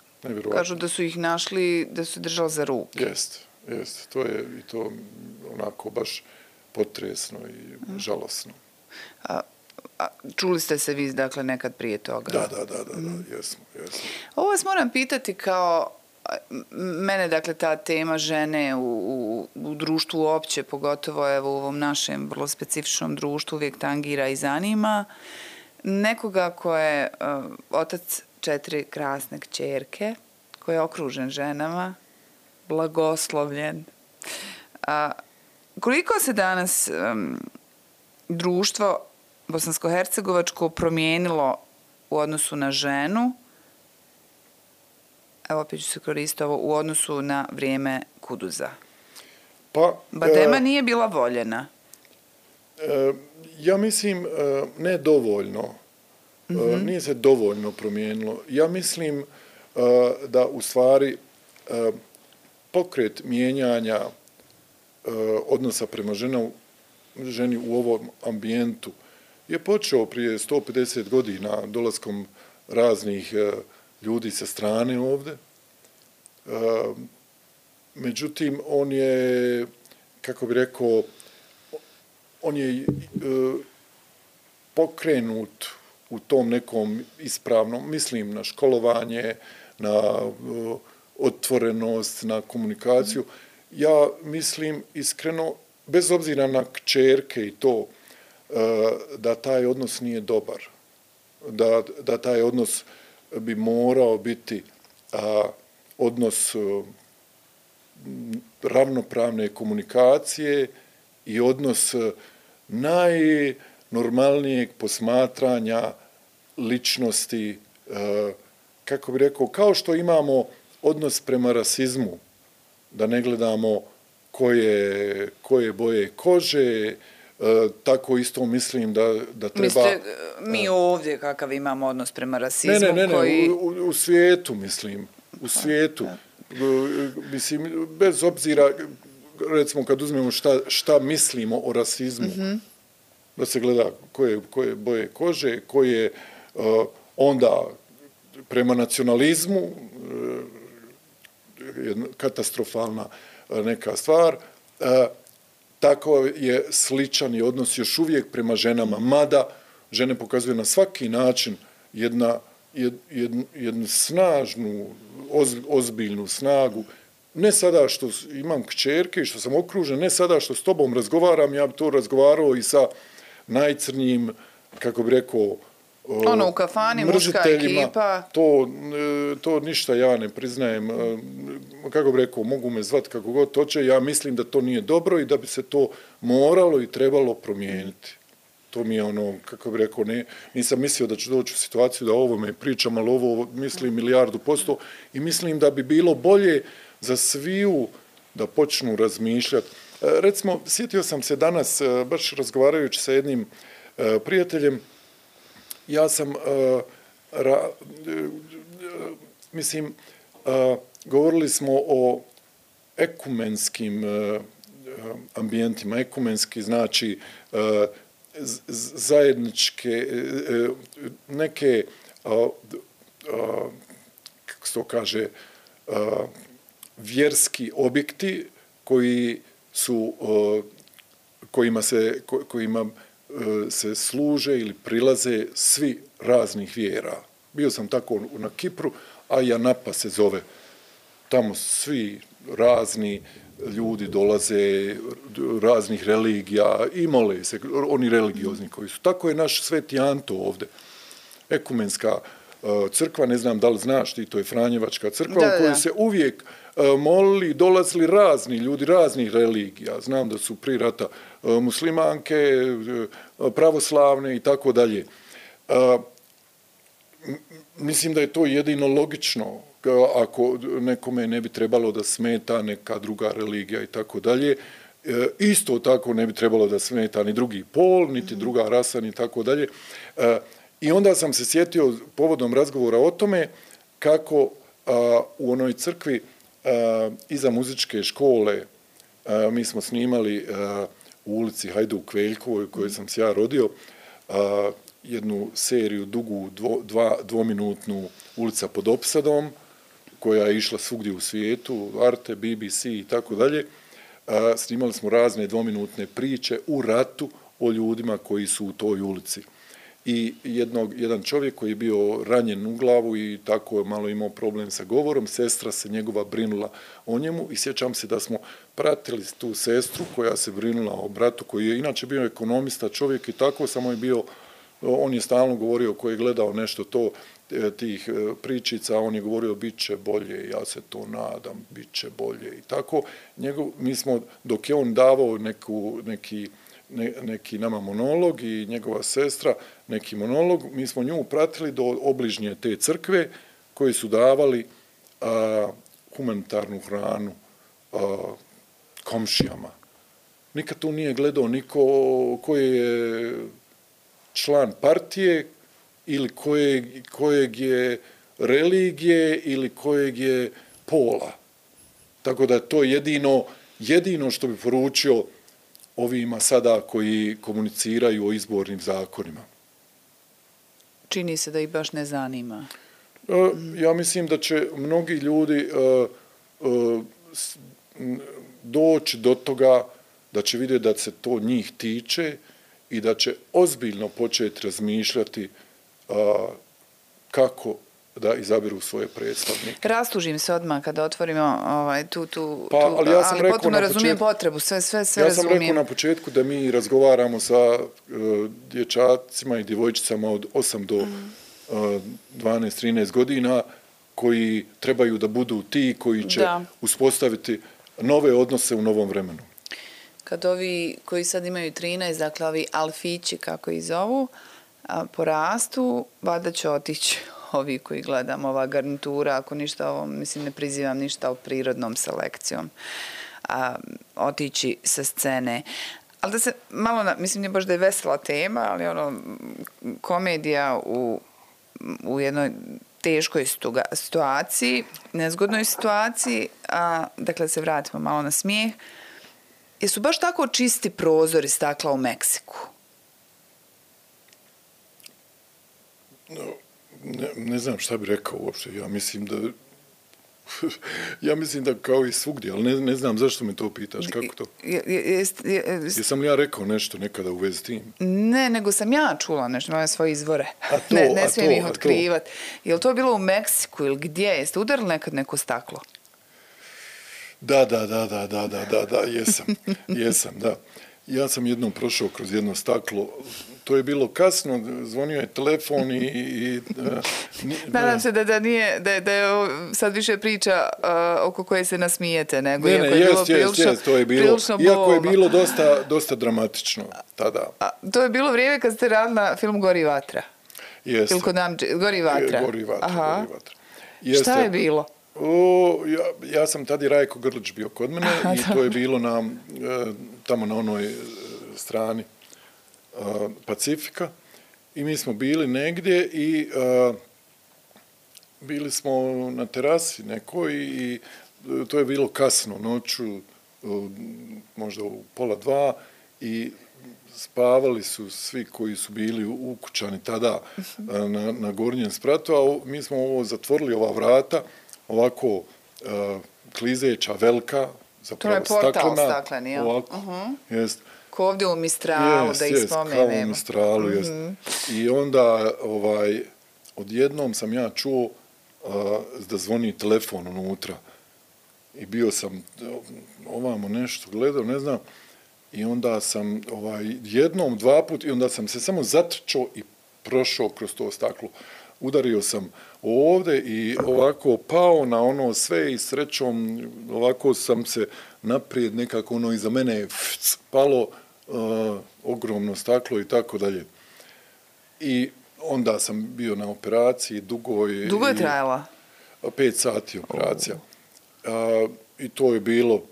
Kažu da su ih našli, da su držali za ruke. Jeste. To je i to onako baš potresno i žalosno. Čuli ste se vi, dakle, nekad prije toga? Da, jesmo. Ovo vas moram pitati kao mene, dakle, ta tema žene u društvu uopće, pogotovo evo u ovom našem vrlo specifičnom društvu, uvijek tangira i zanima. Nekoga ko je otac 4 krasne kćerke, koji je okružen ženama, blagoslovljen. Koliko se danas društvo bosansko-hercegovačko promijenilo u odnosu na ženu, evo opet ću se koristiti ovo, u odnosu na vrijeme Kuduza? Badema nije bila voljena. Ja mislim ne dovoljno. Nije se dovoljno promijenilo. Ja mislim da u stvari pokret mijenjanja odnosa prema ženi u ovom ambijentu je počeo prije 150 godina dolaskom raznih ljudi sa strane ovdje. Međutim, on je, kako bi rekao, on je pokrenut u tom nekom ispravnom, mislim na školovanje, na otvorenost, na komunikaciju. Ja mislim iskreno, bez obzira na kćerke i to, da taj odnos nije dobar. Da taj odnos bi morao biti odnos ravnopravne komunikacije i odnos najnormalnijeg posmatranja ličnosti, kako bi rekao, kao što imamo odnos prema rasizmu, da ne gledamo koje boje kože, tako isto mislim da treba... Mislite, mi ovdje kakav imamo odnos prema rasizmu? Ne, u svijetu mislim, u svijetu. Mislim, bez obzira, recimo kad uzmemo šta mislimo o rasizmu, da se gleda koje boje kože, koje onda prema nacionalizmu, katastrofalna neka stvar, tako je sličan i odnos još uvijek prema ženama, mada žene pokazuju na svaki način jednu snažnu, ozbiljnu snagu. Ne sada što imam kćerke i što sam okružen, ne sada što s tobom razgovaram, ja bi to razgovarao i sa najcrnjim, kako bi rekao, u kafani, muška ekipa. To ništa ja ne priznajem. Kako bi rekao, mogu me zvati kako god hoće. Ja mislim da to nije dobro i da bi se to moralo i trebalo promijeniti. To mi je ono, kako bi rekao, nisam mislio da ću doći u situaciju da o ovome pričam, ali ovo mislim 1.000.000% i mislim da bi bilo bolje za sviju da počnu razmišljati. Recimo, sjetio sam se danas, baš razgovarajući sa jednim prijateljem, ja sam, govorili smo o ekumenskim ambijentima. Ekumenski znači zajedničke, neke, kako se to kaže, vjerski objekti kojima se služe ili prilaze svi raznih vjera. Bio sam tako na Kipru, a Janapa se zove. Tamo svi razni ljudi dolaze, raznih religija i mole se, oni religiozni koji su. Tako je naš Sveti Anto ovdje. Ekumenska crkva, ne znam da li znaš ti, to je Franjevačka crkva u kojoj se uvijek molili, dolazili razni ljudi, raznih religija. Znam da su prije rata muslimanke, pravoslavne i tako dalje. Mislim da je to jedino logično, ako nekome ne bi trebalo da smeta neka druga religija i tako dalje. Isto tako ne bi trebalo da smeta ni drugi pol, niti druga rasa, ni tako dalje. I onda sam se sjetio povodom razgovora o tome kako u onoj crkvi iza muzičke škole mi smo snimali u ulici Hajduk Veljkovoj u kojoj sam se ja rodio jednu seriju dugu dvominutnu Ulica pod opsadom koja je išla svugdje u svijetu, Arte, BBC i tako dalje. Snimali smo razne dvominutne priče u ratu o ljudima koji su u toj ulici. I jedan čovjek koji je bio ranjen u glavu i tako je malo imao problem sa govorom, sestra se njegova brinula o njemu i sjećam se da smo pratili tu sestru koja se brinula o bratu koji je inače bio ekonomista čovjek i tako, samo je bio, on je stalno govorio ko je gledao nešto to tih pričica, on je govorio bit će bolje, ja se to nadam, bit će bolje i tako. Mi smo, dok je on davao neki nama monolog i njegova sestra neki monolog, mi smo nju pratili do obližnje te crkve koji su davali humanitarnu hranu komšijama. Nikad tu nije gledao niko koji je član partije ili kojeg je religije ili kojeg je pola. Tako da je to jedino što bi poručio ovima sada koji komuniciraju o izbornim zakonima. Čini se da ih baš ne zanima. Ja mislim da će mnogi ljudi doći do toga da će vidjeti da se to njih tiče i da će ozbiljno početi razmišljati kako da izabiru svoje predstavnike. Rastužim se odmah kada otvorimo ali ja sam rekao potpuno razumijem potrebu, sve razumijem. Ja sam rekao na početku da mi razgovaramo sa dječacima i djevojčicama od 8 do 12-13 godina koji trebaju da budu ti koji će uspostaviti nove odnose u novom vremenu. Kad ovi koji sad imaju 13, dakle ovi alfići kako ih zovu, porastu, valjda će otići ovi koji gledam, ova garnitura, ako ništa ovo, mislim ne prizivam ništa o prirodnom selekcijom, otići sa scene. Ali da se malo, mislim nije baš da je vesela tema, ali komedija u jednoj teškoj situaciji, nezgodnoj situaciji, dakle se vratimo malo na smijeh, jesu baš tako čisti prozori stakla u Meksiku? Ne znam šta bi rekao uopšte. Ja mislim da kao i svugdje, ali ne znam zašto me to pitaš, kako to? Jesam li ja rekao nešto nekada u vezi tim? Ne, nego sam ja čula nešto, moje svoje izvore. Ne smijem ih otkrivati. Je li to bilo u Meksiku ili gdje? Jeste udarili nekad neko staklo? Da, jesam, da. Ja sam jednom prošao kroz jedno staklo, to je bilo kasno, zvonio je telefon i nadam se da nije, da je sad više priča oko koje se nasmijete, nego iako je bilo prilično bolno. Iako je bilo dosta dramatično tada. To je bilo vrijeme kad ste radili na film Gori vatra? Jeste. Ili kod Gori vatra? Gori vatra. Šta je bilo? Ja sam tada i Rajko Grlić bio kod mene i to je bilo tamo na onoj strani Pacifika i mi smo bili negdje i bili smo na terasi nekoj i to je bilo kasno noću, možda u 1:30 i spavali su svi koji su bili ukućani tada na gornjem spratu, a mi smo zatvorili ova vrata, ovako klizeća, velika, zapravo staklena. To je portal stakleni, ja? Ovako, jest. Ko ovdje u Mistralu, da ih spomenemo. Kao u Mistralu, jest. I onda, odjednom sam ja čuo da zvoni telefon unutra. I bio sam ovamo nešto gledao, ne znam, i onda sam jednom, 2 puta, i onda sam se samo zatrčao i prošao kroz to staklo. Udario sam ovdje i ovako pao na ono sve i srećom ovako sam se naprijed nekako iza mene palo ogromno staklo i tako dalje. I onda sam bio na operaciji, dugo je trajala? 5 sati operacija. I to je bilo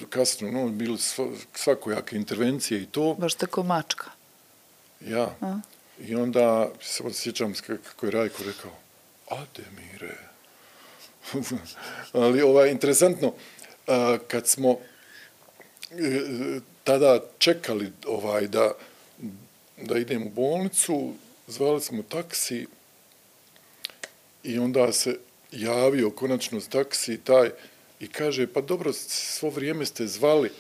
kasno, bili svakojake intervencije i to. Baš tako mačka. Ja. I onda se sjećam kako je Rajko rekao, Ademire. Ali interesantno, kad smo tada čekali da idem u bolnicu, zvali smo taksi i onda se javio konačno taksi taj i kaže, pa dobro, svo vrijeme ste zvali,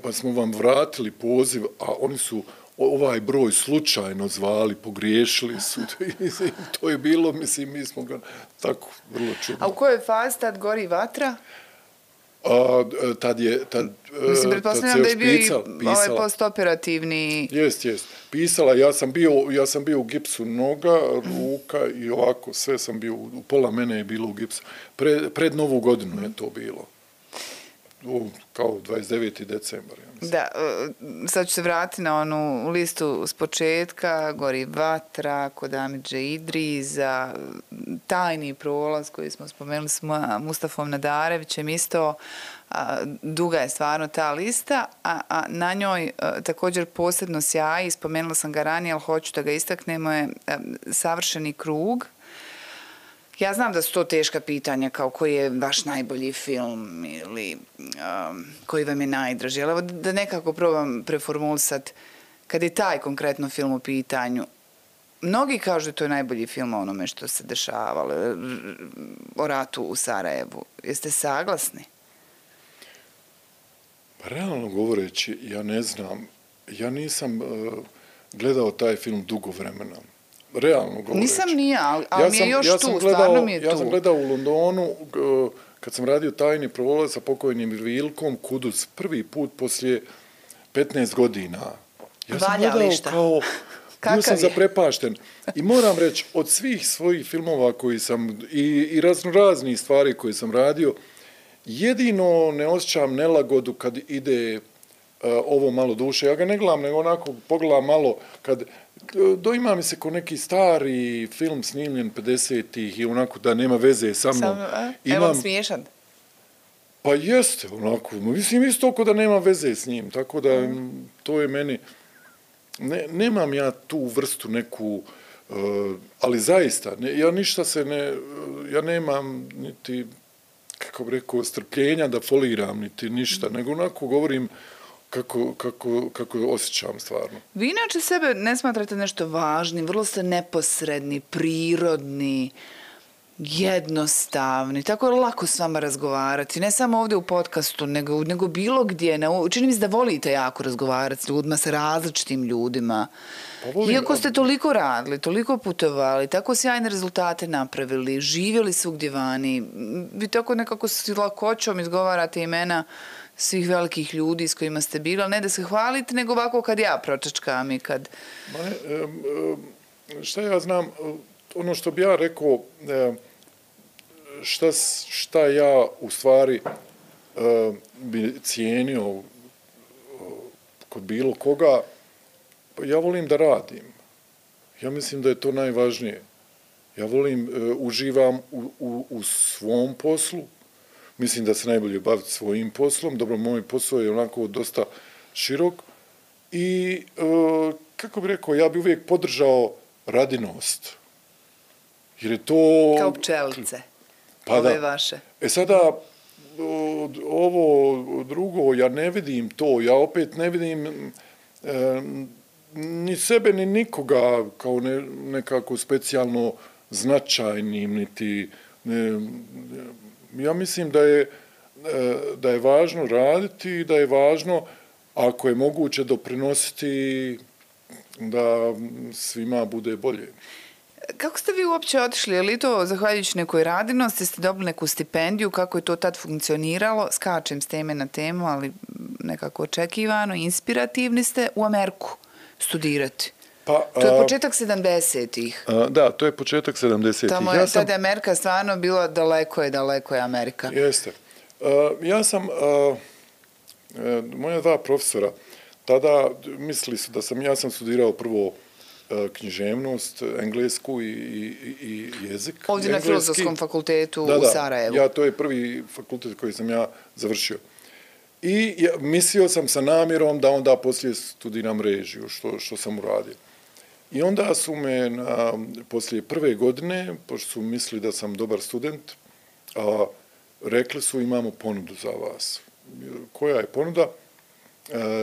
pa smo vam vratili poziv, a oni su ovaj broj slučajno zvali, pogriješili su. To je bilo, mislim, mi smo ga tako vrlo čudno. A u kojoj fazi tad gori vatra? Mislim, pretpostavljam da je bio i ovaj postoperativni... Jest. Pisala, ja sam bio u gipsu noga, ruka i ovako, sve sam bio, u pola mene je bilo u gipsu. Pred Novu godinu je to bilo. Kao 29. decembar, ja mislim. Da, sad ću se vratiti na onu listu s početka, Gori vatra, kod Amidže Idriza, Tajni prolaz koji smo spomenuli s Mustafom Nadarevićem isto, duga je stvarno ta lista, a na njoj također posebno sjaji, spomenula sam ga ranije, ali hoću da ga istaknemo, je Savršeni krug. Ja znam da su to teška pitanja, kao koji je vaš najbolji film ili koji vam je najdraži, ali evo da nekako probam preformulisati, kad je taj konkretno film u pitanju, mnogi kažu da to je najbolji film o onome što se dešavalo, o ratu u Sarajevu. Jeste saglasni? Realno govoreći, ja ne znam, ja nisam gledao taj film dugo vremena. Realno govoreći. Nisam nija, ali mi je još tu, stvarno mi je tu. Ja sam gledao u Londonu, kad sam radio Tajni prolaz sa pokojnim Vilkom Kuduz, prvi put poslije 15 godina. Ja sam gledao kao... Bio sam zaprepašten. I moram reći, od svih svojih filmova koji sam, i raznoraznih stvari koje sam radio, jedino ne osjećam nelagodu kad ide ovo malo duše. Ja ga ne gledam, nego onako pogledam malo kad... Doima mi se ko neki stari film snimljen 50-ih i onako da nema veze sa mnom. Evo smiješan. Pa jeste, onako. Mislim isto ko da nema veze s njim. Tako da to je meni... Nemam ja tu vrstu neku... ali zaista, ja ništa se ne... Ja nemam niti, kako bi rekao, strpljenja da foliram, niti ništa. Nego onako govorim... Kako osjećam stvarno. Vi inače sebe ne smatrate nešto važnim, vrlo ste neposredni, prirodni, jednostavni, tako je lako s vama razgovarati, ne samo ovdje u podcastu, nego bilo gdje. Čini mi se da volite jako razgovarati s ljudima, sa različitim ljudima. Iako ste toliko radili, toliko putovali, tako sjajne rezultate napravili, živjeli svugdje vani, vi tako nekako s lakoćom izgovarate imena svih velikih ljudi s kojima ste bili, ali ne da se hvalite, nego ovako kad ja pročačkam i kad... Šta ja znam, ono što bi ja rekao, šta ja u stvari bi cijenio kod bilo koga, ja volim da radim. Ja mislim da je to najvažnije. Ja volim, uživam u svom poslu. Mislim da se najbolje baviti svojim poslom. Dobro, moj posao je onako dosta širok. I, kako bih rekao, ja bih uvijek podržao radinost. Jer je to... Kao pčelice. Pa ove vaše. Sada, ovo drugo, ja ne vidim to. Ja opet ne vidim ni sebe, ni nikoga kao nekako specijalno značajnim, niti... Ja mislim da je važno raditi i da je važno, ako je moguće, doprinositi da svima bude bolje. Kako ste vi uopće otišli? Je li to zahvaljujući nekoj radinosti? Ste dobili neku stipendiju? Kako je to tad funkcioniralo? Skačem s teme na temu, ali nekako očekivano. Inspirativni ste u Ameriku studirati. To je početak 70-ih. Da, to je početak 70-ih. Tada je Amerika stvarno bila daleko je Amerika. Jeste. Ja sam, moja dva profesora, tada mislili su da ja sam studirao prvo književnost, englesku i jezik. Ovdje na Filozofskom fakultetu u Sarajevu. Ja, to je prvi fakultet koji sam ja završio. I mislio sam sa namjerom da onda poslije studiram režiju, što sam uradio. I onda su me poslije prve godine, pošto su mislili da sam dobar student, rekli su imamo ponudu za vas. Koja je ponuda?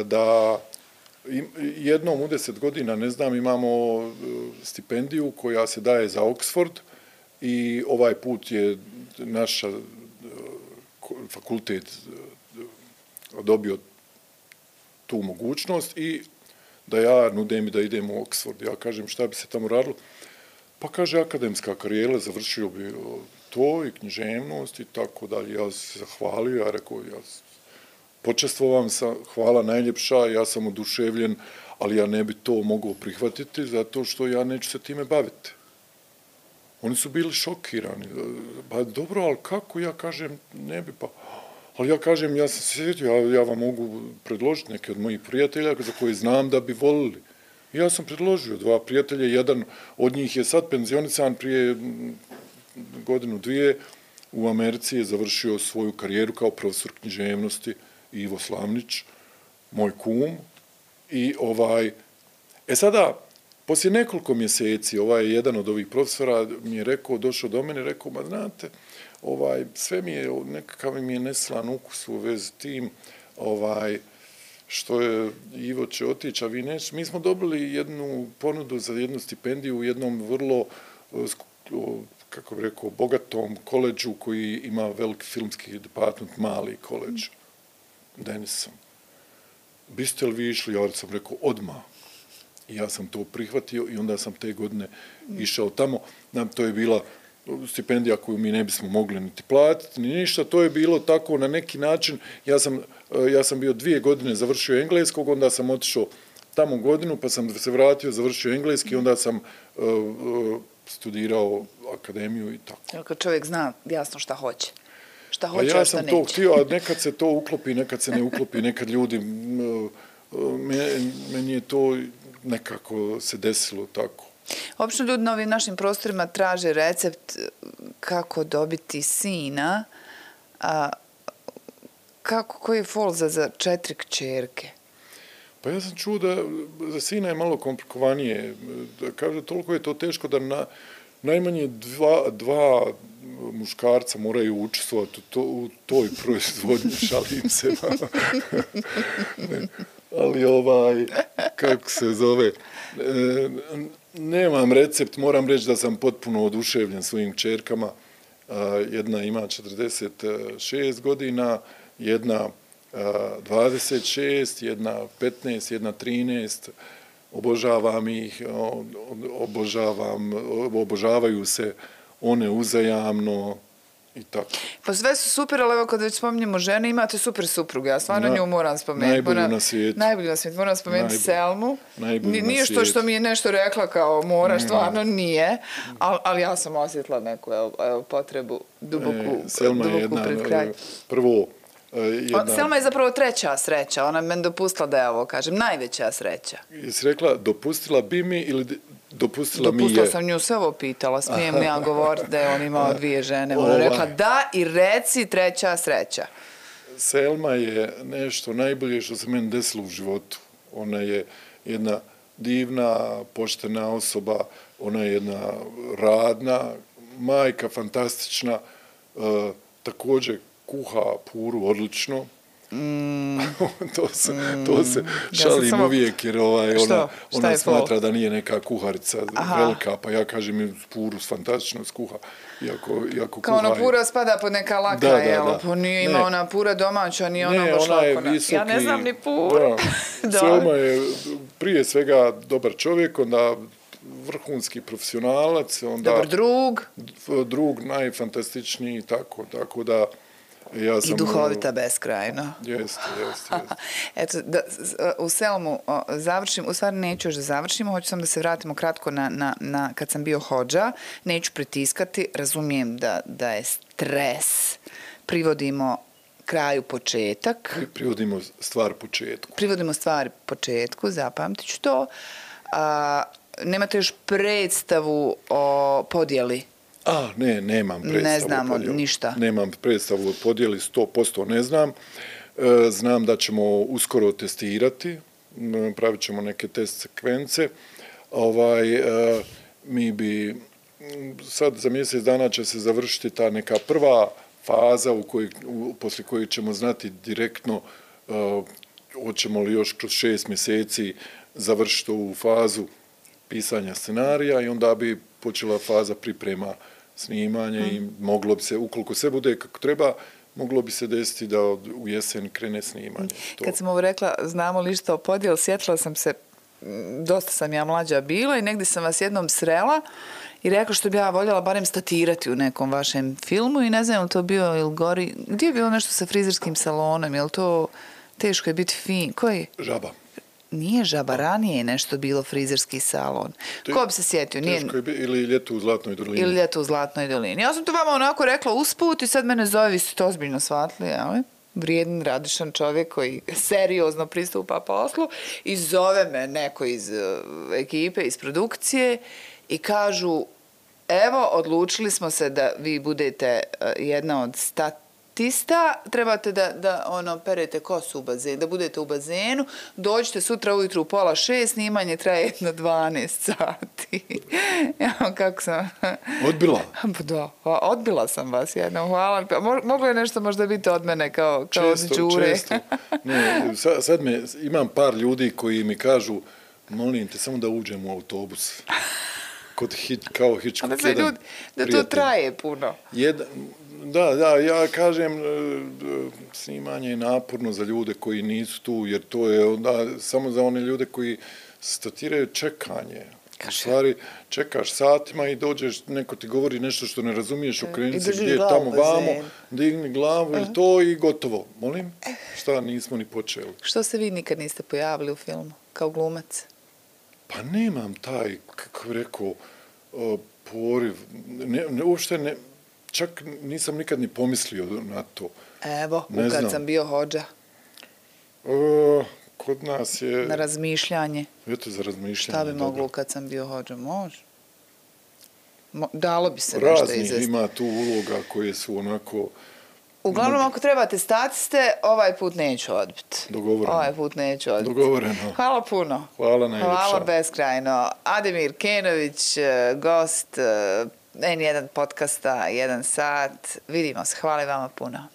Da jednom u 10 godina, ne znam, imamo stipendiju koja se daje za Oxford i ovaj put je naš fakultet dobio tu mogućnost i da ja nudim i da idem u Oxford. Ja kažem šta bi se tamo radilo? Pa kaže akademska karijera, završio bi to i književnost i tako dalje. Ja se zahvalio, ja rekao, počestvovam sam, hvala najljepša, ja sam oduševljen, ali ja ne bi to mogao prihvatiti zato što ja neću se time baviti. Oni su bili šokirani. Pa dobro, ali kako? Ja kažem, ne bi pa... Ali ja kažem, ja sam se sjetio, ja vam mogu predložiti neke od mojih prijatelja za koje znam da bi volili. Ja sam predložio 2 prijatelja, jedan od njih je sad penzionisan prije 1-2 u Americi, je završio svoju karijeru kao profesor književnosti, Ivo Slavnić, moj kum. I sada, poslije nekoliko mjeseci, jedan od ovih profesora mi je rekao, došao do mene, rekao, ma znate, sve mi je, nekakav mi je neslan ukus u vezi tim, što je Ivo će otići, a vi neće. Mi smo dobili jednu ponudu za jednu stipendiju u jednom vrlo, kako bih rekao, bogatom koledžu koji ima veliki filmski department, mali koledž, Denison. Biste li vi išli? Ja sam rekao, odmah. I ja sam to prihvatio i onda sam te godine išao tamo. To je bila stipendija koju mi ne bismo mogli niti platiti, ni ništa. To je bilo tako na neki način. Ja sam bio 2 godine završio engleskog, onda sam otišao tamo godinu, pa sam se vratio, završio engleski, onda sam studirao akademiju i tako. Kad čovjek zna jasno šta hoće. Šta hoće, ja sam to htio, a nekad se to uklopi, nekad se ne uklopi, nekad ljudi, meni je to nekako se desilo tako. Obično ljudi na ovim našim prostorima traže recept kako dobiti sina, koji je fol za 4 kćerke? Pa ja sam čuo da za sina je malo komplikovanije. Kaže, toliko je to teško da najmanje 2 muškarca moraju učestvovati u toj proizvodnji, šalim se. Ali kako se zove, nemam recept, moram reći da sam potpuno oduševljen svojim kćerkama. Jedna ima 46 godina, jedna 26, jedna 15, jedna 13. Obožavam ih, obožavaju se one uzajamno i tako. Pa sve su super, ali evo kad već spominjemo žene, imate super supruge, ja stvarno nju moram spomenuti. Najbolju na svijetu. Najbolju na svijetu, moram spomenuti Selmu. Nije što mi je nešto rekla kao moraš, stvarno nije, ali ja sam osjetila neku potrebu duboku pred kraj. Prvo, Selma je zapravo 3. sreća, ona meni dopustila da ja ovo kažem, najveća sreća. Jesi rekla dopustila bi mi ili dopustila mi je? Dopustila sam nju sve ovo pitala, smijem li ja govoriti da je on imao 2 žene. Ona rekla da i reci 3. sreća. Selma je nešto najbolje što se meni desilo u životu. Ona je jedna divna, poštena osoba, ona je jedna radna, majka fantastična, također kuha puru odlično. To se šalim uvijek jer ona smatra da nije neka kuharica velika, pa ja kažem puru fantastično skuha. Kao ona pura spada pod neka laka, pa nije ima ona pura domaća, nije ona baš lakona. Ja ne znam ni puru. Selma je prije svega dobar čovjek, onda vrhunski profesionalac, onda dobar drug najfantastičniji i tako da i duhovita beskrajno. Jeste. Eto, u Selmu završim, u stvari neću još da završimo, hoću sam da se vratimo kratko na kad sam bio hodža, neću pritiskati, razumijem da je stres, privodimo kraju početak. Privodimo stvar početku, zapamtit ću to. Nemate još predstavu o podjeli? Nemam predstavu. Ne znamo ništa. Nemam predstavu o podjeli, 100% ne znam. Znam da ćemo uskoro testirati, pravit ćemo neke test sekvence. Mi bi, sad za mjesec dana će se završiti ta neka prva faza poslije koje ćemo znati direktno hoćemo li još kroz 6 mjeseci završiti ovu fazu pisanja scenarija i onda bi počela faza priprema snimanja i moglo bi se, ukoliko sve bude kako treba, moglo bi se desiti da u jesen krene snimanje. Kad sam ovo rekla, znamo li što o podjeli, sjetila sam se dosta sam ja mlađa bila i negdje sam vas jednom srela i rekla što bi ja voljela barem statirati u nekom vašem filmu i ne znam je li to bio ili gori, gdje je bilo nešto sa frizerskim salonom, je li to teško je biti fin, koji? Žaba. Nije Žaba, ranije je nešto bilo frizerski salon. Ko bi se sjetio? Teško je ili Ljeto u Zlatnoj dolini. Ili Ljeto u Zlatnoj dolini. Ja sam to vama onako rekla usput i sad mene zove, vi ste to ozbiljno shvatili, ali? Vrijedan, radišan čovjek koji seriozno pristupa poslu i zove me neko iz ekipe, iz produkcije i kažu, evo, odlučili smo se da vi budete jedna od statista, trebate da perete kosu u bazenu, da budete u bazenu, dođite sutra ujutru u 5:30, snimanje traje jedno 12 sati. Ja, kako sam... Odbila? Da, odbila sam vas jednom, hvala. Moglo je nešto možda biti od mene kao od Đure. Često. Ne, sad imam par ljudi koji mi kažu, molim te, samo da uđem u autobus. Kao Hitchcock, jedan da to traje puno. Da, ja kažem, snimanje je naporno za ljude koji nisu tu, jer to je onda samo za one ljude koji statiraju čekanje. U stvari, čekaš satima i dođeš, neko ti govori nešto što ne razumiješ, okreni se gdje je tamo vamo, digni glavu i to i gotovo. Molim? Šta, nismo ni počeli. Što se vi nikad niste pojavili u filmu, kao glumac? Pa nemam taj, kako bih rekao, poriv. Uopšte ne, čak nisam nikad ni pomislio na to. Evo, kad sam bio hodža. Kod nas je... Na razmišljanje. Eto, za razmišljanje. Šta bi moglo kad sam bio hodža? Može. Dalo bi se nešto izvesti. Raznih ima tu uloga koje su onako... Uglavnom, ako trebate statiste, ovaj put neću odbiti. Dogovoreno. Ovaj put neću odbiti. Dogovoreno. Hvala puno. Hvala najljepša. Hvala beskrajno. Ademir Kenović, gost N1 podcasta, 1 sat. Vidimo se. Hvala vama puno.